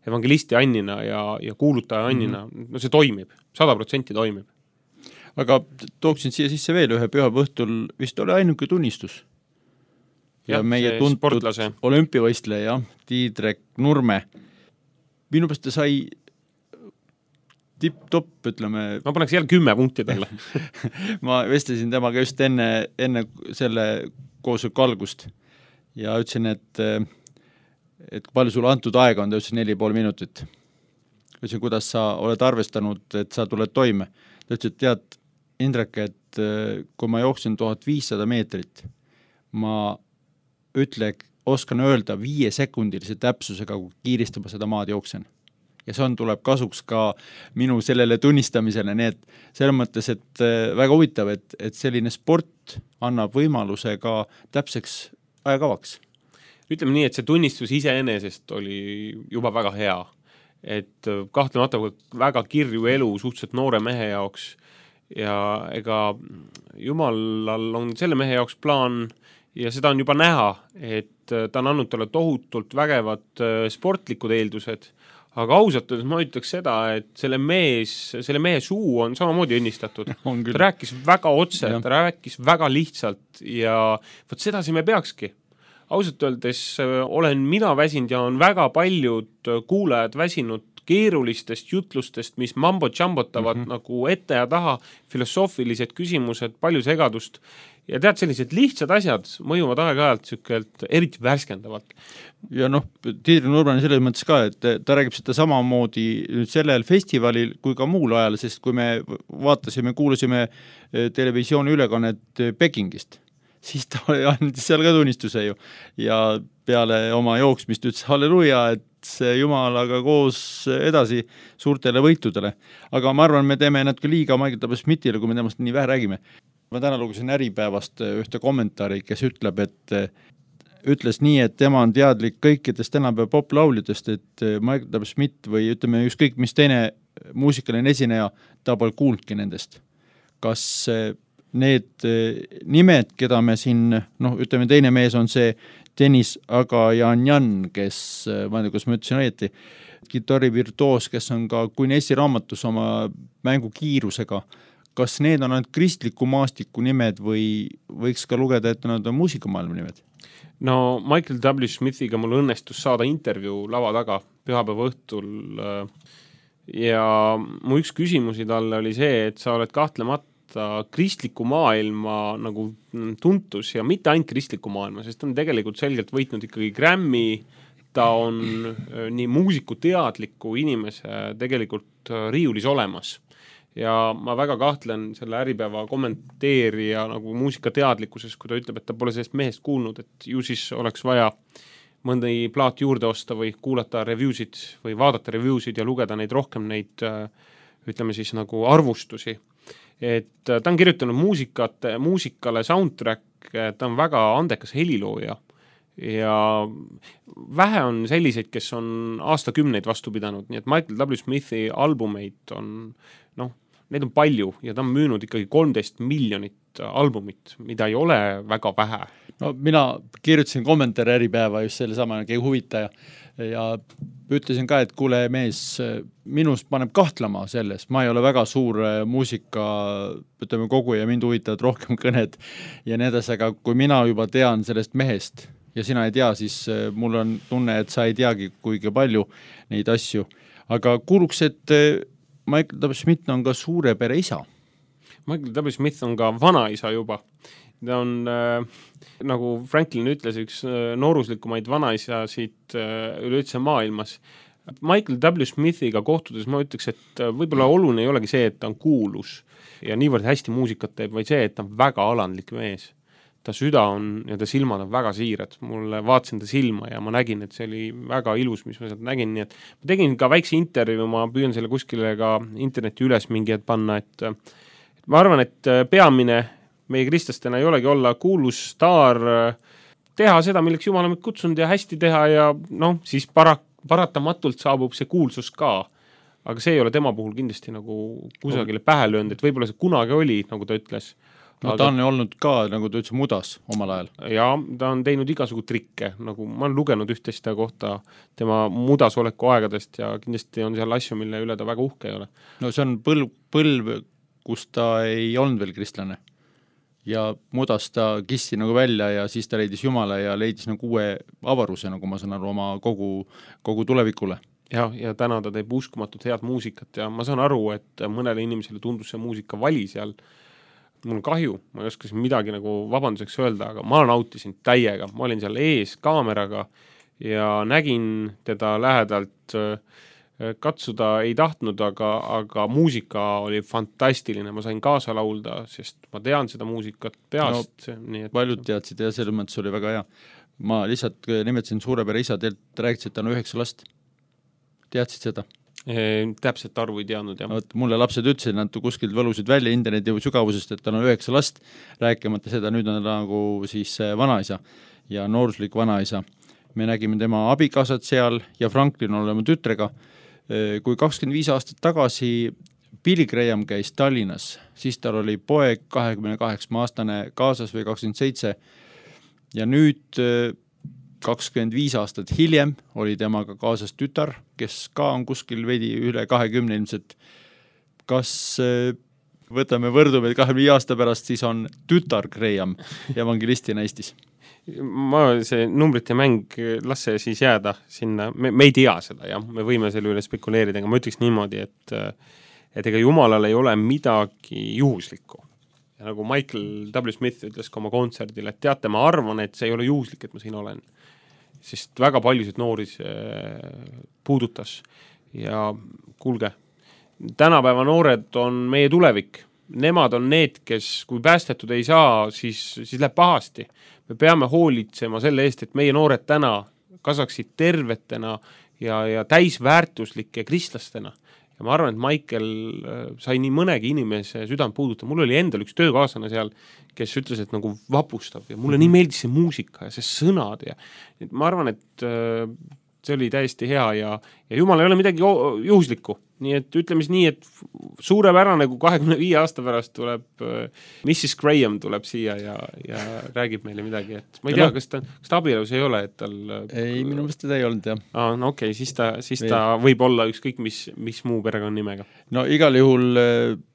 evangelisti annina ja, ja kuulutaja annina, mm-hmm. no see toimib, sada protsenti toimib. Aga tooksin siia sisse veel ühe püha õhtul, vist oli ainuke tunnistus. Ja, ja meie tuntud sportlase. Olümpiavõistleja, Tiidrek Nurme. Minu pärast ta sai tipp-topp, ütleme. Ma paneks jälle kümme punkti talle. ma vestlesin temaga just enne, enne selle koosoleku algust ja ütlesin, et, et palju sulle antud aega on, ta ütlesin neli pool minutit. Ütlesin, kuidas sa oled arvestanud, et sa tuled toime. Ta ütles, et tead, Indrek, et kui ma jooksin tuhat viissada meetrit, ma ütle, oskan öelda viie sekundilise täpsusega, kui kiiresti ma seda maad jooksen. Ja see on, tuleb kasuks ka minu sellele tunnistamisele, nii et selles mõttes, et väga huvitav, et, et selline sport annab võimaluse ka täpseks ajakavaks. Ütleme nii, et see tunnistus iseenesest oli juba väga hea, et kahtlemata väga kirju elu suhteliselt noore mehe jaoks ja ega Jumalal on selle mehe jaoks plaan ja seda on juba näha, et ta on andnud talle tohutult vägevad sportlikud eeldused. Aga ausalt, ma ütleks seda, et selle, mees, selle mehe suu on samamoodi õnnistatud. Ta rääkis väga otse, ta rääkis väga lihtsalt ja võt sedasi me peakski. Ausalt öeldes olen mina väsinud ja on väga paljud kuulajad väsinud keerulistest jutlustest, mis mambo-jambotavad mm-hmm. nagu ette ja taha, filosoofilised küsimused, palju segadust. Ja tead, sellised lihtsad asjad mõjuvad aeg-ajalt sükelt eriti värskendavalt. Ja noh, Tiidri Nurmani selles mõttes ka, et ta räägib seda samamoodi nüüd sellel festivalil kui ka muul ajal, sest kui me vaatasime, kuulasime televisiooni ülekannet Pekingist, siis ta andis seal ka tunnistuse ju. Ja peale oma jooksmist ütles halleluja, et see Jumalaga koos edasi suurtele võitudele. Aga ma arvan, me teeme natuke liiga Michael W. Smithile, kui me temast nii vähe räägime. Ma täna lugesin Äripäevast ühte kommentaari, kes ütleb, et ütles nii, et tema on teadlik kõikidest tänapäeva poplauljadest, et Michael W. Smith või ütleme ükskõik mis teine muusikaline esineja, ta pole kuulnudki nendest. Kas need nimed, keda me siin, noh, ütleme teine mees on see Dennis Agajanjan, kes, ma ei tea, kus ma ütlesin õieti, kitarrivirtuoos, kes on ka Guinessi raamatus oma mängu kiirusega. Kas need on ainult kristliku maastiku nimed või võiks ka lugeda, et nad on muusikamaailma nimed? No Michael W. Smithiga mul õnnestus saada intervjuu lava taga pühapäeva õhtul ja mu üks küsimusi talle oli see, et sa oled kahtlemata kristliku maailma nagu tuntus ja mitte ainult kristliku maailma, sest ta on tegelikult selgelt võitnud ikkagi Grammy, ta on nii muusiku teadliku inimese tegelikult riiulis olemas. Ja ma väga kahtlen selle Äripäeva kommenteerija nagu muusikateadlikkuses, kui ta ütleb, et ta pole sellest mehest kuulnud, et ju siis oleks vaja mõndi plaat juurde osta või kuulata reviewsid või vaadata reviewsid ja lugeda neid rohkem neid, ütleme siis nagu arvustusi. Et ta on kirjutanud muusikat, muusikale soundtrack, ta on väga andekas helilooja ja vähe on selliseid, kes on aastakümneid vastu pidanud, nii et Michael W. Smithi albumeid on noh, neid on palju ja ta on müünud ikkagi kolmteist miljonit albumit, mida ei ole väga vähe. No mina kirjutasin kommentaari Äripäeva just selle sama keegi huvitaja ja ütlesin ka, et kuule mees, minust paneb kahtlema selles, ma ei ole väga suur muusika, ütleme kogu ja mind huvitavad rohkem kõned ja nii edasi, aga kui mina juba tean sellest mehest ja sina ei tea, siis mul on tunne, et sa ei teagi kuigi palju neid asju. Aga kuuluks, et Michael W. Smith on ka suure pere isa. Michael W. Smith on ka vanaisa juba. Ta on, äh, nagu Franklin ütles, üks äh, nooruslikumaid vanaisasid äh, üleüldse maailmas. Michael W. Smithiga kohtudes ma ütleks, et võib-olla oluline ei olegi see, et ta on kuulus ja niivõrd hästi muusikat teeb, vaid see, et ta on väga alandlik mees. Ta süda on ja ta silmad on väga siirad. Mulle vaatasin ta silma ja ma nägin, et see oli väga ilus, mis ma sealt nägin. Nii et ma tegin ka väikse intervju, ma püüan selle kuskile ka interneti üles mingi et panna, et, et ma arvan, et peamine meie kristlastena ei olegi olla kuulus staar, teha seda, milleks Jumal on kutsunud ja hästi teha ja noh, siis para, paratamatult saabub see kuulsus ka. Aga see ei ole tema puhul kindlasti nagu kusagile pähe löönud, et võib-olla see kunagi oli, nagu ta ütles. No aga ta on olnud ka, nagu ta ütles, mudas omal ajal. Ja ta on teinud igasugu trikke, nagu ma olen lugenud üht-teist kohta tema mudasoleku aegadest ja kindlasti on seal asju, mille üle ta väga uhke ei ole. No see on põlv, põlv kus ta ei olnud veel kristlane. Ja mudas ta kissi nagu välja ja siis ta leidis Jumala ja leidis nagu uue avaruse, nagu ma saan aru, oma kogu, kogu tulevikule. Ja, ja täna ta teeb uskumatult head muusikat ja ma saan aru, et mõnele inimesele tundus see muusika vali seal. Mul on kahju, ma ei oskasin midagi nagu vabanduseks öelda, aga ma nautisin täiega. Ma olin seal ees kaameraga ja nägin teda lähedalt katsuda ei tahtnud, aga, aga muusika oli fantastiline. Ma sain kaasa laulda, sest ma tean seda muusikat peast. No, nii et... paljud teadsid ja selles mõttes oli väga hea. Ma lihtsalt nimetasin suurepere isa, teilt rääkisid, et ta on üheksa last. Teadsid seda? E, täpselt arvu ei teadnud, jah. Oot, mulle lapsed ütlesid, nad kuskilt võlusid välja interneti sügavusest, et ta on üheksa last, rääkimata seda, nüüd on ta nagu siis vanaisa ja nooruslik vanaisa. Me nägime tema abikaasad seal ja Franklin on olema tütrega. Kui kakskümmend viis aastat tagasi Billy Graham käis Tallinnas, siis tal oli poeg kahekümne kaheksa aastane kaasas või kakskümmend seitse ja nüüd kakskümmend viis aastat hiljem oli temaga kaasas tütar, kes ka on kuskil veidi üle kahekümne ilmselt. Kas võtame võrdume, et kahekümne viie aasta pärast siis on tütar Graham evangelistina Eestis? Ma see numbrite mäng, las see siis jääda sinna, me, me ei tea seda, jah, me võime selle üle spekuleerida, aga ma ütleks niimoodi, et, et ega Jumalal ei ole midagi juhuslikku. Ja nagu Michael W. Smith ütles ka oma kontserdil, et teate, ma arvan, et see ei ole juhuslik, et ma siin olen. Sest väga paljusid noori puudutas ja kuulge, tänapäeva noored on meie tulevik. Nemad on need, kes kui päästetud ei saa, siis, siis läheb pahasti. Me peame hoolitsema selle eest, et meie noored täna kasvaksid tervetena ja, ja täisväärtuslike kristlastena. Ja ma arvan, et Michael sai nii mõnegi inimese südant puuduta. Mul oli endal üks töökaaslane seal, kes ütles, et nagu vapustab ja mulle nii meeldis see muusika ja see sõnad. Ja ma arvan, et see oli täiesti hea ja, ja Jumal ei ole midagi juhuslikku. Nii et ütleme nii, et suurepärane, kui kahekümne viie aasta pärast tuleb missis Graham tuleb siia ja, ja räägib meile midagi. Et ma ei tea, kas ta, kas ta abielus ei ole, et tal... Ei, minu mõttes teda ei olnud, jah. Ah, no okei, okay, siis, ta, siis ta võib olla ükskõik mis, mis muu perekonna nimega. No igal juhul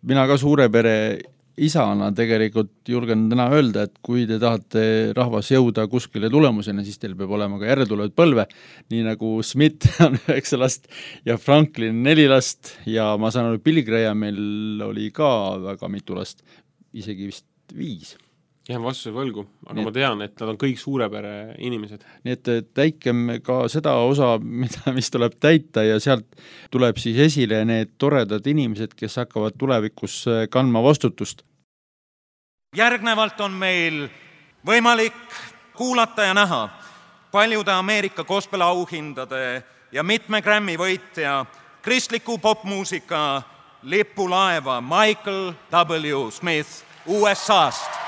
mina ka suure pere isana tegelikult julgen täna öelda, et kui te tahate rahvas jõuda kuskile tulemusena, siis teil peab olema ka järeltulevad põlve, nii nagu Smith on üheksa last ja Franklin neli last ja ma saan aru, Billy Grahamil oli ka väga mitu last, isegi vist viis. Jään vastuse võlgu, aga nii, ma tean, et nad on kõik suurepere inimesed. Nii et täikem ka seda osa, mida, mis tuleb täita ja sealt tuleb siis esile need toredad inimesed, kes hakkavad tulevikus kandma vastutust. Järgnevalt on meil võimalik kuulata ja näha paljude Ameerika gospel auhindade ja mitme Grammy võitja kristliku popmuusika lipulaeva Michael W. Smith U S A-st.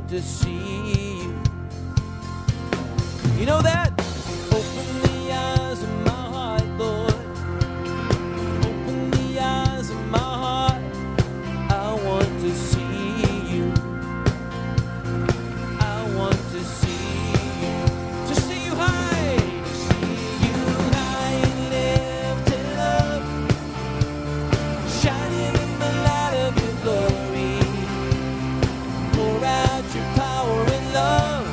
to see you. You know that? Open the eyes of my heart, Lord. Open the eyes of my heart. I want to see you. I want to see you. To see you high. To see you high and lifted up, shining in the light of your glory. Pour out your power and love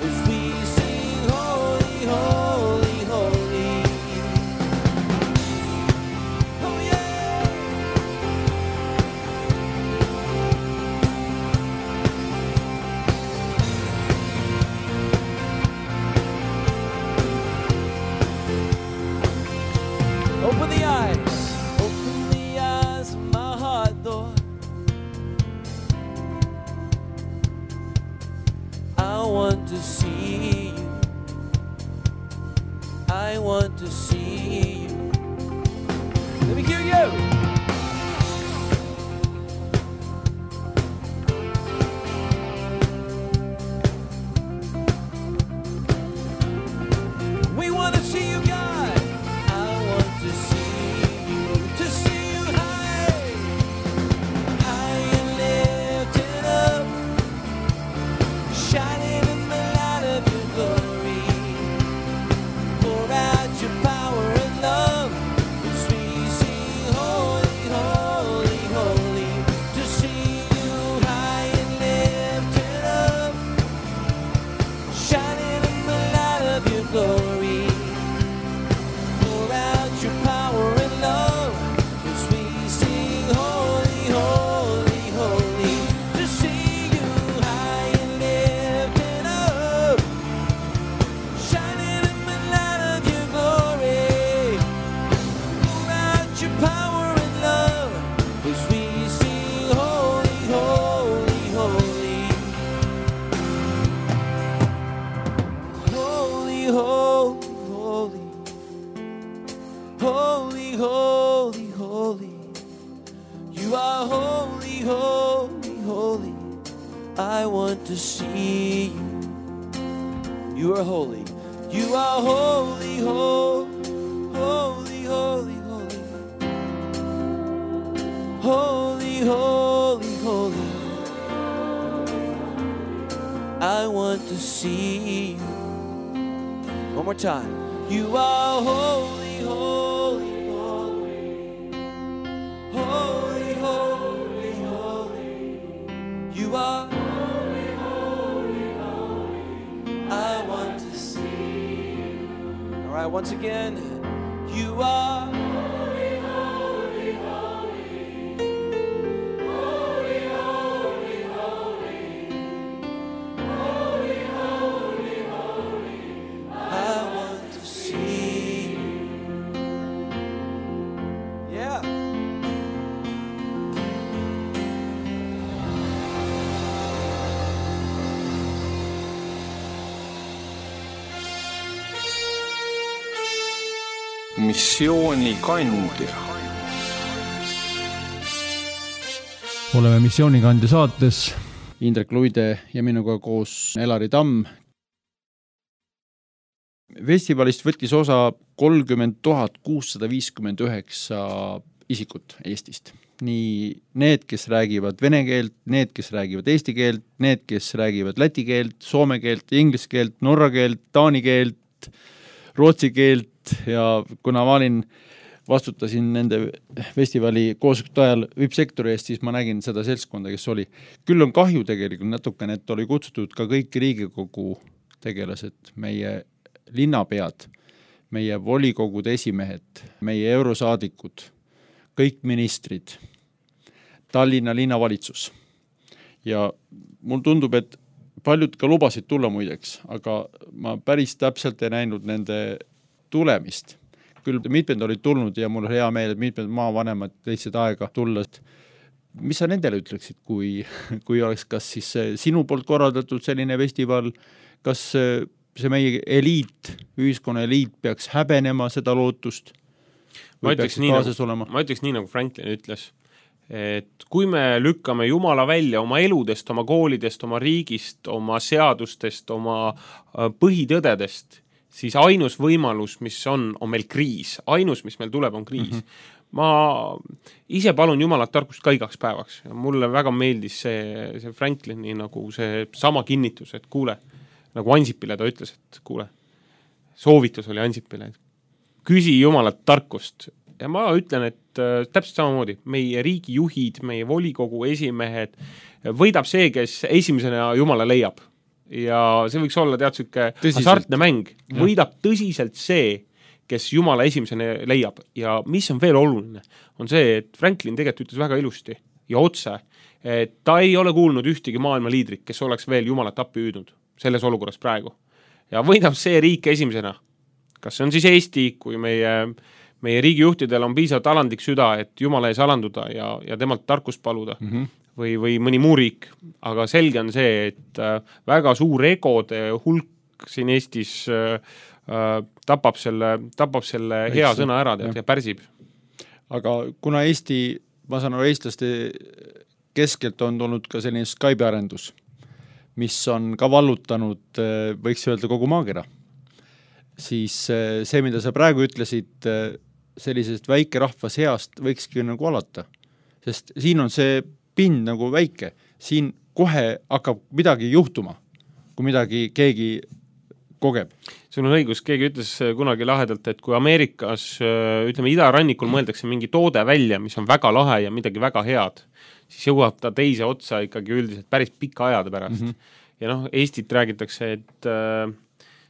as we sing holy, holy, holy. Oh yeah. Open the eyes, open the eyes of my heart, Lord. I want to see you. I want to see you. Let me hear you. We want to see you, God. I want to see you, to see you high, high and lifted up, shining in the light of your glory. Pour out your power and love as we sing holy, holy, holy. To see you high and lifted up, shining in the light of your glory. Pour out your power and love as we sing holy, holy, holy. To see you high and lifted up, shining in the light of your glory. Pour out your power and love as we sing holy, holy, holy. Holy, holy, holy. Holy, holy, holy. You are holy, holy, holy. I want to see you. You are holy. You are holy, holy, holy, holy, holy. Holy, holy, holy. I want to see you. One more time. You are holy, holy, holy. Holy, holy, holy. You are holy, holy, holy. I want to see you. All right, once again. You are holy, holy, holy. Holy, holy, holy. Holy, holy, holy. I want to see you. Yeah. Missioonikandja. oleme Missioonikandja saates, Indrek Luide ja minuga koos Elari Tamm. Festivalist võttis osa kolmkümmend tuhat kuussada viiskümmend üheksa isikut Eestist. Nii need, kes räägivad vene keelt, need, kes räägivad eesti keelt, need, kes räägivad läti keelt, soome keelt, inglise keelt, norra keelt, taani keelt, rootsi keelt ja kuna ma olin, vastutasin nende festivali koosolekute ajal V I P-sektori eest, siis ma nägin seda seltskonda, kes oli. Küll on kahju tegelikult natukene, et oli kutsutud ka kõik Riigikogu tegelased, meie linnapead, meie volikogude esimehed, meie eurosaadikud, kõik ministrid, Tallinna linnavalitsus. Ja mul tundub, et paljud ka lubasid tulla muideks, aga ma päris täpselt ei näinud nende tulemist. Küll mitmed olid tulnud ja mul hea meel, et mitmed maavanemad leidsid aega tulla. Mis sa nendele ütleksid, kui, kui oleks kas siis sinu poolt korraldatud selline festival, kas see meie eliit, ühiskonna eliit peaks häbenema seda lootust? Ma ütleks, nii nagu, ma ütleks nii, nagu Franklin ütles, et kui me lükkame Jumala välja oma eludest, oma koolidest, oma riigist, oma seadustest, oma põhitõdedest, siis ainus võimalus, mis on, on meil kriis. Ainus, mis meil tuleb, on kriis. Mm-hmm. Ma ise palun Jumalat tarkust ka igaks päevaks. Ja mulle väga meeldis see, see Franklini nagu see sama kinnitus, et kuule, nagu Ansipile ta ütles, et kuule, soovitus oli Ansipile, et küsi Jumalat tarkust. Ja ma ütlen, et äh, täpselt samamoodi, meie riigijuhid, meie volikogu esimehed, võidab see, kes esimesena Jumala leiab. Ja see võiks olla tead süke hasartne mäng. Võidab tõsiselt see, kes Jumala esimesena leiab. Ja mis on veel oluline, on see, et Franklin tegelikult ütles väga ilusti ja otse, et ta ei ole kuulnud ühtegi maailma liidrit, kes oleks veel Jumalat appi hüüdnud selles olukorras praegu. Ja võidab see riik esimesena. Kas see on siis Eesti, kui meie, meie riigijuhtidel on piisavalt alandlik süda, et Jumala ees alanduda ja, ja temalt tarkust paluda mm-hmm. või, või mõni muu riik. Aga selge on see, et väga suur egode hulk siin Eestis äh, tapab selle, tapab selle hea Eks, sõna ära tead, ja pärsib. Aga kuna Eesti, ma saan aru, eestlaste keskelt on tulnud ka selline Skype arendus, mis on ka vallutanud, võiks öelda, kogu maakera, siis see, mida sa praegu ütlesid, sellisest väike rahva seast võikski nagu alata. Sest siin on see pind nagu väike. Siin kohe hakkab midagi juhtuma, kui midagi keegi kogeb. Sul on õigus, keegi ütles kunagi lahedalt, et kui Ameerikas, ütleme, idarannikul mõeldakse mingi toode välja, mis on väga lahe ja midagi väga head, siis jõuab ta teise otsa ikkagi üldiselt päris pika ajade pärast. Mm-hmm. Ja noh, Eestit räägitakse, et äh,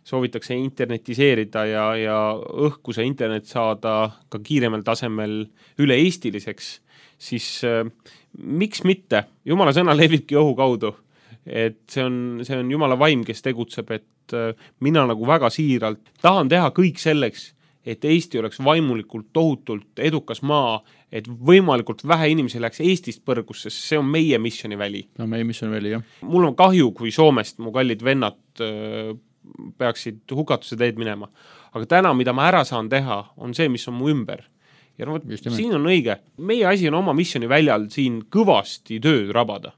soovitakse internetiseerida ja, ja õhkuse internet saada ka kiiremal tasemel üle eestiliseks, siis äh, miks mitte? Jumala sõna levibki õhu kaudu. Et see on, see on Jumala vaim, kes tegutseb, et mina nagu väga siiralt tahan teha kõik selleks, et Eesti oleks vaimulikult tohutult edukas maa, et võimalikult vähe inimesi läheks Eestist põrgusse, sest see on meie missioniväli. No meie missioniväli, jah. Mul on kahju, kui Soomest mu kallid vennad peaksid hukatuse teed minema. Aga täna, mida ma ära saan teha, on see, mis on mu ümber. Ja no, siin on õige. Meie asi on oma missioniväljal siin kõvasti tööd rabada.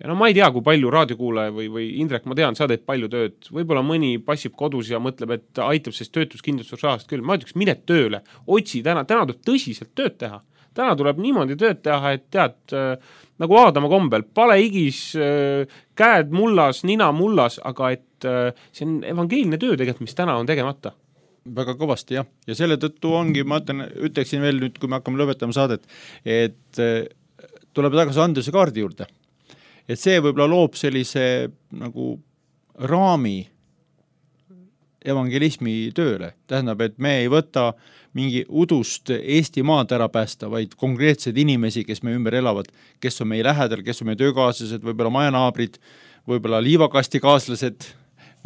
Ja no ma ei tea, kui palju raadiokuulaja või, või Indrek, ma tean, sa teed palju tööd. Võib-olla mõni passib kodus ja mõtleb, et aitab sest töötuskindlustusrahast küll. Ma ütleks, mine tööle, otsi täna, täna tuleb tõsiselt tööd teha. Täna tuleb niimoodi tööd teha, et tead, äh, nagu Aadama kombel, pale igis, äh, käed mullas, nina mullas, aga et äh, see on evangeelne töö tegelikult, mis täna on tegemata. Väga kõvasti, jah. Ja selle tõttu ongi, ma ütlen, ütleksin veel nüüd, kui me hakkame lõpetama saadet, et äh, tuleb tagasi Andrese kaardi juurde. Et see võib-olla loob sellise nagu raami evangelismi tööle. Tähendab, et me ei võta mingi udust Eesti maad ära päästa, vaid konkreetsed inimesi, kes me ümber elavad, kes on meie lähedal, kes on meie töökaaslased, võib-olla majanaabrid, võib-olla liivakasti kaaslased,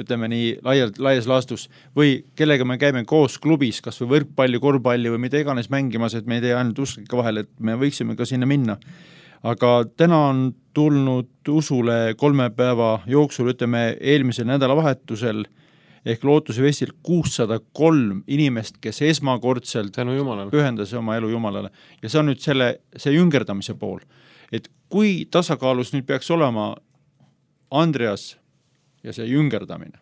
ütleme nii laialt, laias laastus, või kellega me käime koos klubis, kas või võrkpalli, korvpalli või mida iganes mängimas, et me ei tee ainult usklikke vahel, et me võiksime ka sinna minna. Aga täna on tulnud usule kolme päeva jooksul, ütleme eelmisel nädalavahetusel ehk Lootuse Vestil kuussada kolm inimest, kes esmakordselt pühendas oma elu Jumalale. Ja see on nüüd selle, see jüngerdamise pool. Et kui tasakaalus nüüd peaks olema Andreas ja see jüngerdamine?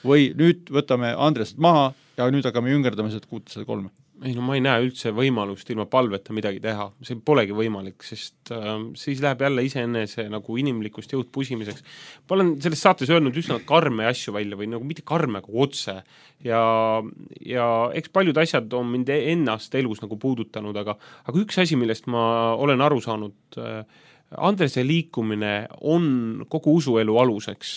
Või nüüd võtame Andreast maha ja nüüd hakkame jüngerdamised kuussada kolm? Ei, no ma ei näe üldse võimalust ilma palveta midagi teha. See polegi võimalik, sest äh, siis läheb jälle iseenese nagu inimlikust jõud pusimiseks. Ma olen selles saates öelnud üsna karme asju välja või nagu mitte karme, aga otse. Ja, ja eks paljud asjad on mind ennast elus nagu puudutanud, aga, aga üks asi, millest ma olen aru saanud, äh, Andrese liikumine on kogu usuelu aluseks.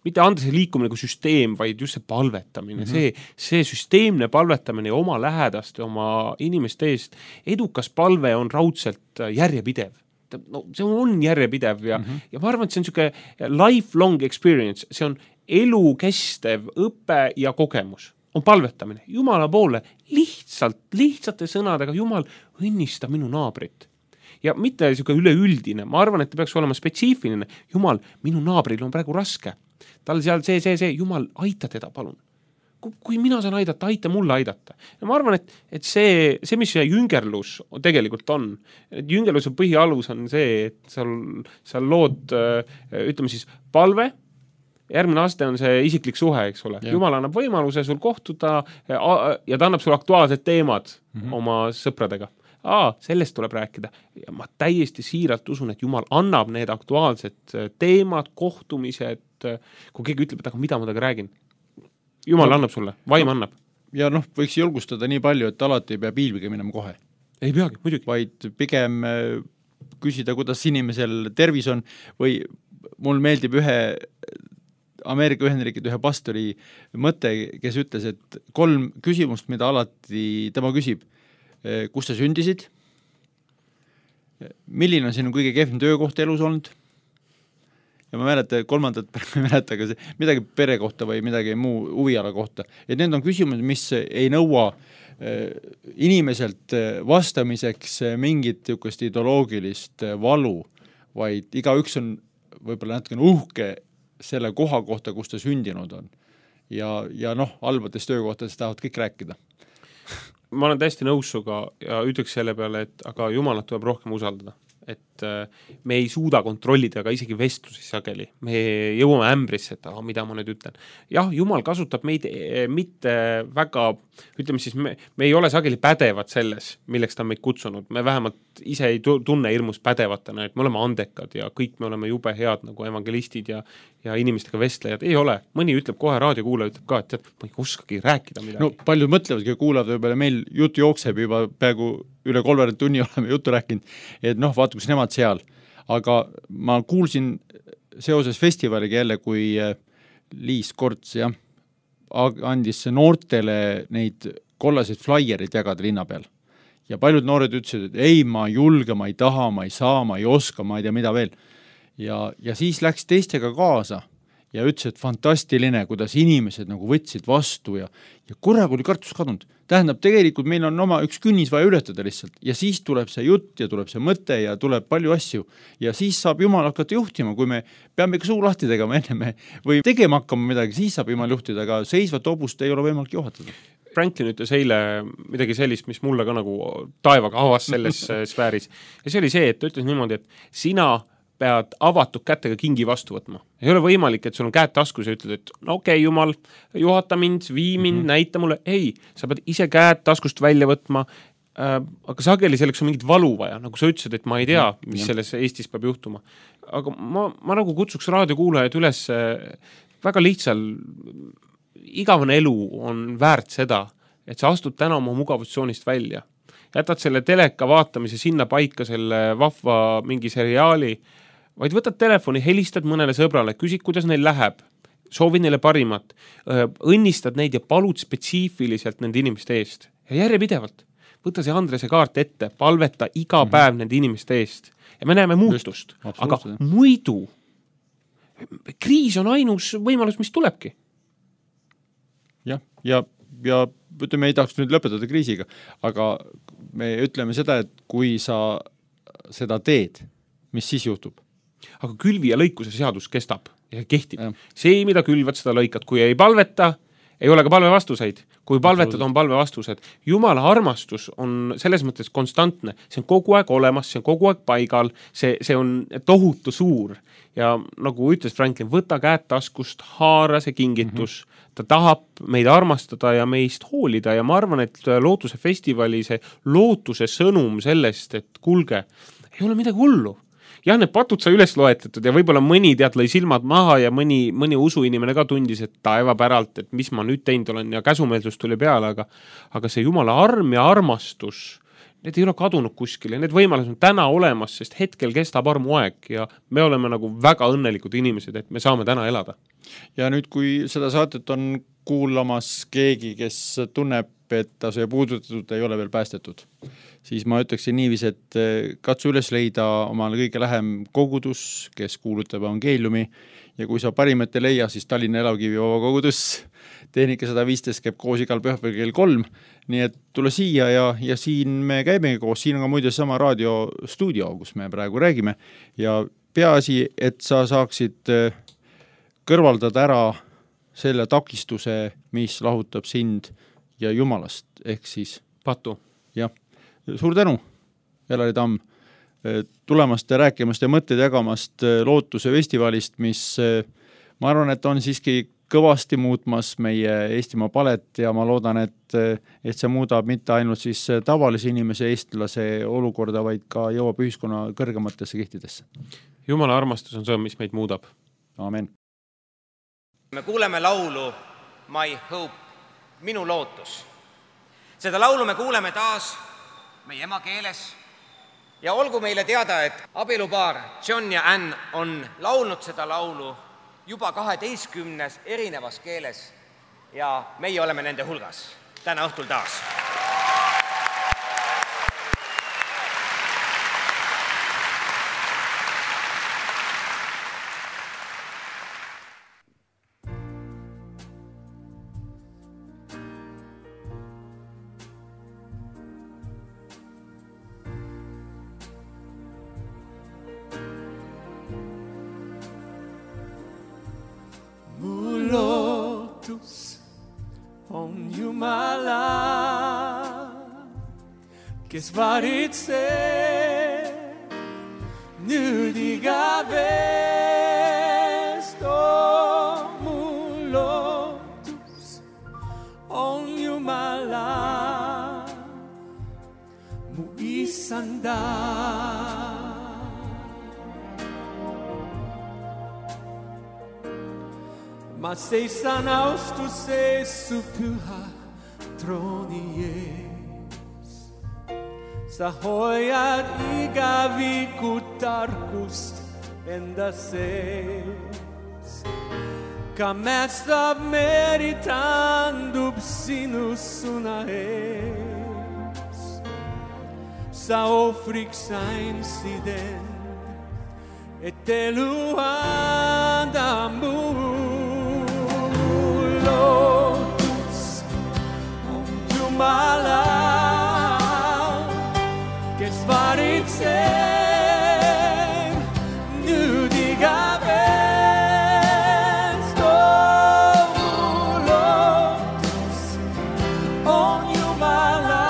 Mitte Andrese liikumine kui süsteem, vaid just see palvetamine. Mm-hmm. See, see süsteemne palvetamine oma lähedaste, oma inimeste eest. Edukas palve on raudselt järjepidev. No, see on järjepidev ja, mm-hmm. ja ma arvan, et see on niisugune lifelong experience. See on elukestev õpe ja kogemus. On palvetamine. Jumala poole lihtsalt, lihtsate sõnadega, Jumal, õnnista minu naabrit. Ja mitte niisugune üleüldine, ma arvan, et ta peaks olema spetsiifiline. Jumal, minu naabril on praegu raske. Tal seal see, see, see, Jumal, aita teda, palun. kui mina saan aidata, aita mulle aidata. Ja ma arvan, et, et see, see, mis see jüngerlus tegelikult on, et jüngerluse põhialus on see, et seal, seal lood, ütleme siis, palve, järgmine aste on see isiklik suhe, eks ole. Ja. Jumal annab võimaluse sul kohtuda ja ta annab sul aktuaalsed teemad mm-hmm. oma sõpradega. Aa, sellest tuleb rääkida. Ja ma täiesti siiralt usun, et Jumal annab need aktuaalsed teemad, kohtumised, kui keegi ütleb, et aga mida ma taga räägin. Jumal no, annab sulle, vaim no, annab. Ja noh, võiks julgustada nii palju, et alati ei pea piilbiga minema kohe. Ei peagi, muidugi. Vaid pigem küsida, kuidas inimesel tervis on või mul meeldib ühe Ameerika Ühendriigid ühe pastori mõte, kes ütles, et kolm küsimust, mida alati tema küsib. Kus sa sündisid? Milline on sinu kõige kehvim töökoht elus olnud? Ja ma mäleta, kolmandat ma mäleta ka see, midagi pere kohta või midagi muu huviala kohta. Et need on küsimused, mis ei nõua inimeselt vastamiseks mingit niisugust ideoloogilist valu, vaid igaüks on võib-olla natukene uhke selle koha kohta, kus ta sündinud on. Ja, ja noh, halbadest töökohtadest tahavad kõik rääkida. Ma olen täiesti nõus suga ja ütleks selle peale, et aga Jumalat tuleb rohkem usaldada. Et me ei suuda kontrollida ka isegi vestlusi sageli. Me jõuame ämbrisse, et ah, mida ma nüüd ütlen. Jah, Jumal kasutab meid mitte väga, ütleme siis, me, me ei ole sageli pädevad selles, milleks ta on meid kutsunud. Me vähemalt ise ei tunne hirmus pädevatena, et me oleme andekad ja kõik me oleme jube head nagu evangelistid ja, ja inimestega vestlejad. Ei ole. Mõni ütleb kohe, raadiokuulaja ütleb ka, et tead, ma ei oskagi rääkida midagi. No paljud mõtlevadki ja kuulavad võib-olla meil jutu jookseb juba peaaegu üle kolmveerand tunni oleme juttu rääkinud, et noh, vaata, kus nemad seal. Aga ma kuulsin seoses festivaliga jälle, kui Liis Korts ja, andis noortele neid kollaseid flyer'id jagada linna peal. Ja paljud noored ütlesid, et ei, ma ei julge, ma ei taha, ma ei saa, ma ei oska, ma ei tea, mida veel. Ja, ja siis läks teistega kaasa ja ütles, et fantastiline, kuidas inimesed nagu võtsid vastu ja, ja korraga oli kartus kadunud. Tähendab, tegelikult meil on oma üks künnis vaja ületada lihtsalt ja siis tuleb see jutt ja tuleb see mõte ja tuleb palju asju ja siis saab Jumal hakata juhtima, kui me peame ikka suu lahti tegema enne me või tegema hakkama midagi, siis saab Jumal juhtida, aga seisvat hobust ei ole võimalik juhatada. Franklin ütles eile midagi sellist, mis mulle ka nagu taevaga avas selles sfääris ja see oli see, et ta ütles niimoodi, et sina pead avatud kätega kingi vastu võtma. Ei ole võimalik, et sul on käed taskus ja ütled, et no okei, okay, Jumal, juhata mind, vii mind, mm-hmm. näita mulle. Ei, sa pead ise käed taskust välja võtma, äh, aga sageli selleks on mingit valu vaja, nagu sa ütlesid, et ma ei tea, mis selles Eestis peab juhtuma. Aga ma, ma nagu kutsuks raadiokuulajad üles väga lihtsal, igavene elu on väärt seda, et sa astud täna oma mugavustsioonist välja. Jätad selle teleka vaatamise sinna paika, selle vahva mingi seriaali, vaid võtad telefoni, helistad mõnele sõbrale, küsid, kuidas neil läheb, soovid neile parimat, õnnistad neid ja palud spetsiifiliselt nende inimeste eest. Ja järjepidevalt. Võta see Andrese kaart ette, palveta iga mm-hmm. päev nende inimeste eest. Ja me näeme muutust. Just, aga muidu kriis on ainus võimalus, mis tulebki. Jah, ja, ja ütleme, ei tahaks nüüd lõpetada kriisiga, aga me ütleme seda, et kui sa seda teed, mis siis juhtub? Aga külvi ja lõikuse seadus kestab ja kehtib. Ja. See, mida külvad, seda lõikad. Kui ei palveta, ei ole ka palve vastuseid. Kui palvetad, on palve vastused. Jumala armastus on selles mõttes konstantne. See on kogu aeg olemas, see on kogu aeg paigal, see, see on tohutu suur. Ja nagu ütles Franklin, võta käed taskust, haara see kingitus. Mm-hmm. Ta tahab meid armastada ja meist hoolida ja ma arvan, et Lootuse festivali see lootuse sõnum sellest, et kulge, ei ole midagi hullu. Jah, need patud sai üles loetletud ja võib-olla mõni tead lõi silmad maha ja mõni, mõni usuinimene ka tundis, et taeva päralt, et mis ma nüüd teinud olen ja käsumeelsus tuli peale, aga, aga see Jumala arm ja armastus, need ei ole kadunud kuskil ja need võimalused on täna olemas, sest hetkel kestab armuaeg ja me oleme nagu väga õnnelikud inimesed, et me saame täna elada. Ja nüüd, kui seda saatet on kuulamas keegi, kes tunneb, et ta see puudutatud ei ole veel päästetud, siis ma ütleksin niiviisi, et katsu üles leida omale kõige lähem kogudus, kes kuulutab evangeeliumi ja kui sa parimat ei leia, siis Tallinna Elakivi vaba kogudus, tehnika sada viisteist käib koos igal pühapäeval kell kolm, nii et tule siia ja, ja siin me käimegi koos, siin on ka muide sama raadiostuudio, kus me praegu räägime ja peaasi, et sa saaksid kõrvaldada ära selle takistuse, mis lahutab sind ja Jumalast, ehk siis patu. Jah, suur tänu, Elari Tamm, tulemast ja rääkimast ja mõtteid jagamast Lootuse festivalist, mis ma arvan, et on siiski kõvasti muutmas meie Eestimaa palet ja ma loodan, et, et see muudab mitte ainult siis tavalise inimese eestlase olukorda, vaid ka jõuab ühiskonna kõrgematesse kihtidesse. Jumala armastus on see, mis meid muudab. Amen. Me kuuleme laulu My Hope, minu lootus. Seda laulu me kuuleme taas meie emakeeles ja olgu meile teada, et abielupaar John ja Ann on laulnud seda laulu juba kaheteistkümnes erinevas keeles ja meie oleme nende hulgas täna õhtul taas. On Jumala, kes varitseb nüüd igavest. Oh, mu lootus on Jumala, mu isanda. Ma seisan austuses su püha trooni ees. Sa hoiad igaviku tarkust enda sees. Ka mästab meri tandub sinu suna ees. Sa ohvriks sain siden, et elu anda muu. Lootus on Jumala, kes varitseb nüüd igavest. Oh, mu lootus on Jumala,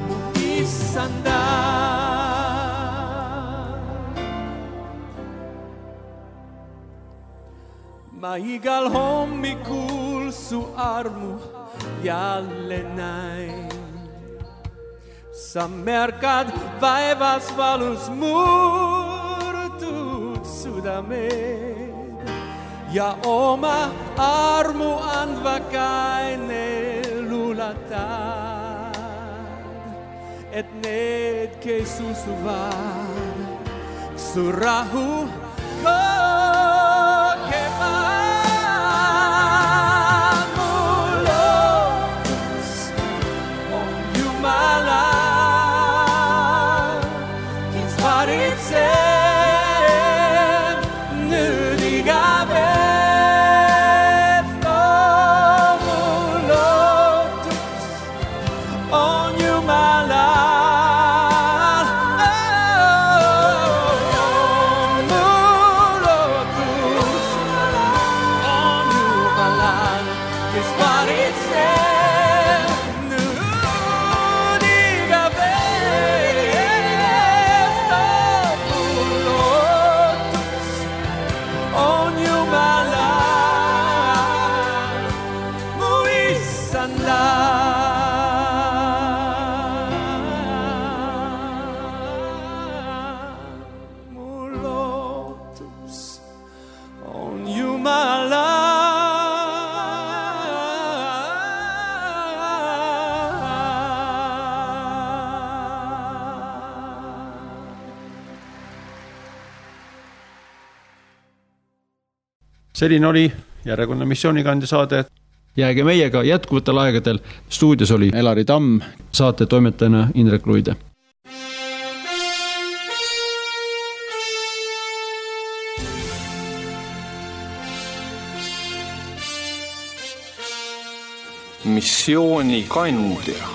mu isanda. Ma igal hommikul su armu jälle näin. Sa märkad vaevas valus murtud südamed ja oma armu andva kaine luulatad, et need, kes usuvad, su rahu kogevad. Selline oli järjekordne missioonikandja saade. Jääge meiega jätkuvatel aegadel. Stuudios oli Elari Tamm, saate toimetajana Indrek Luide. Missioonikandja.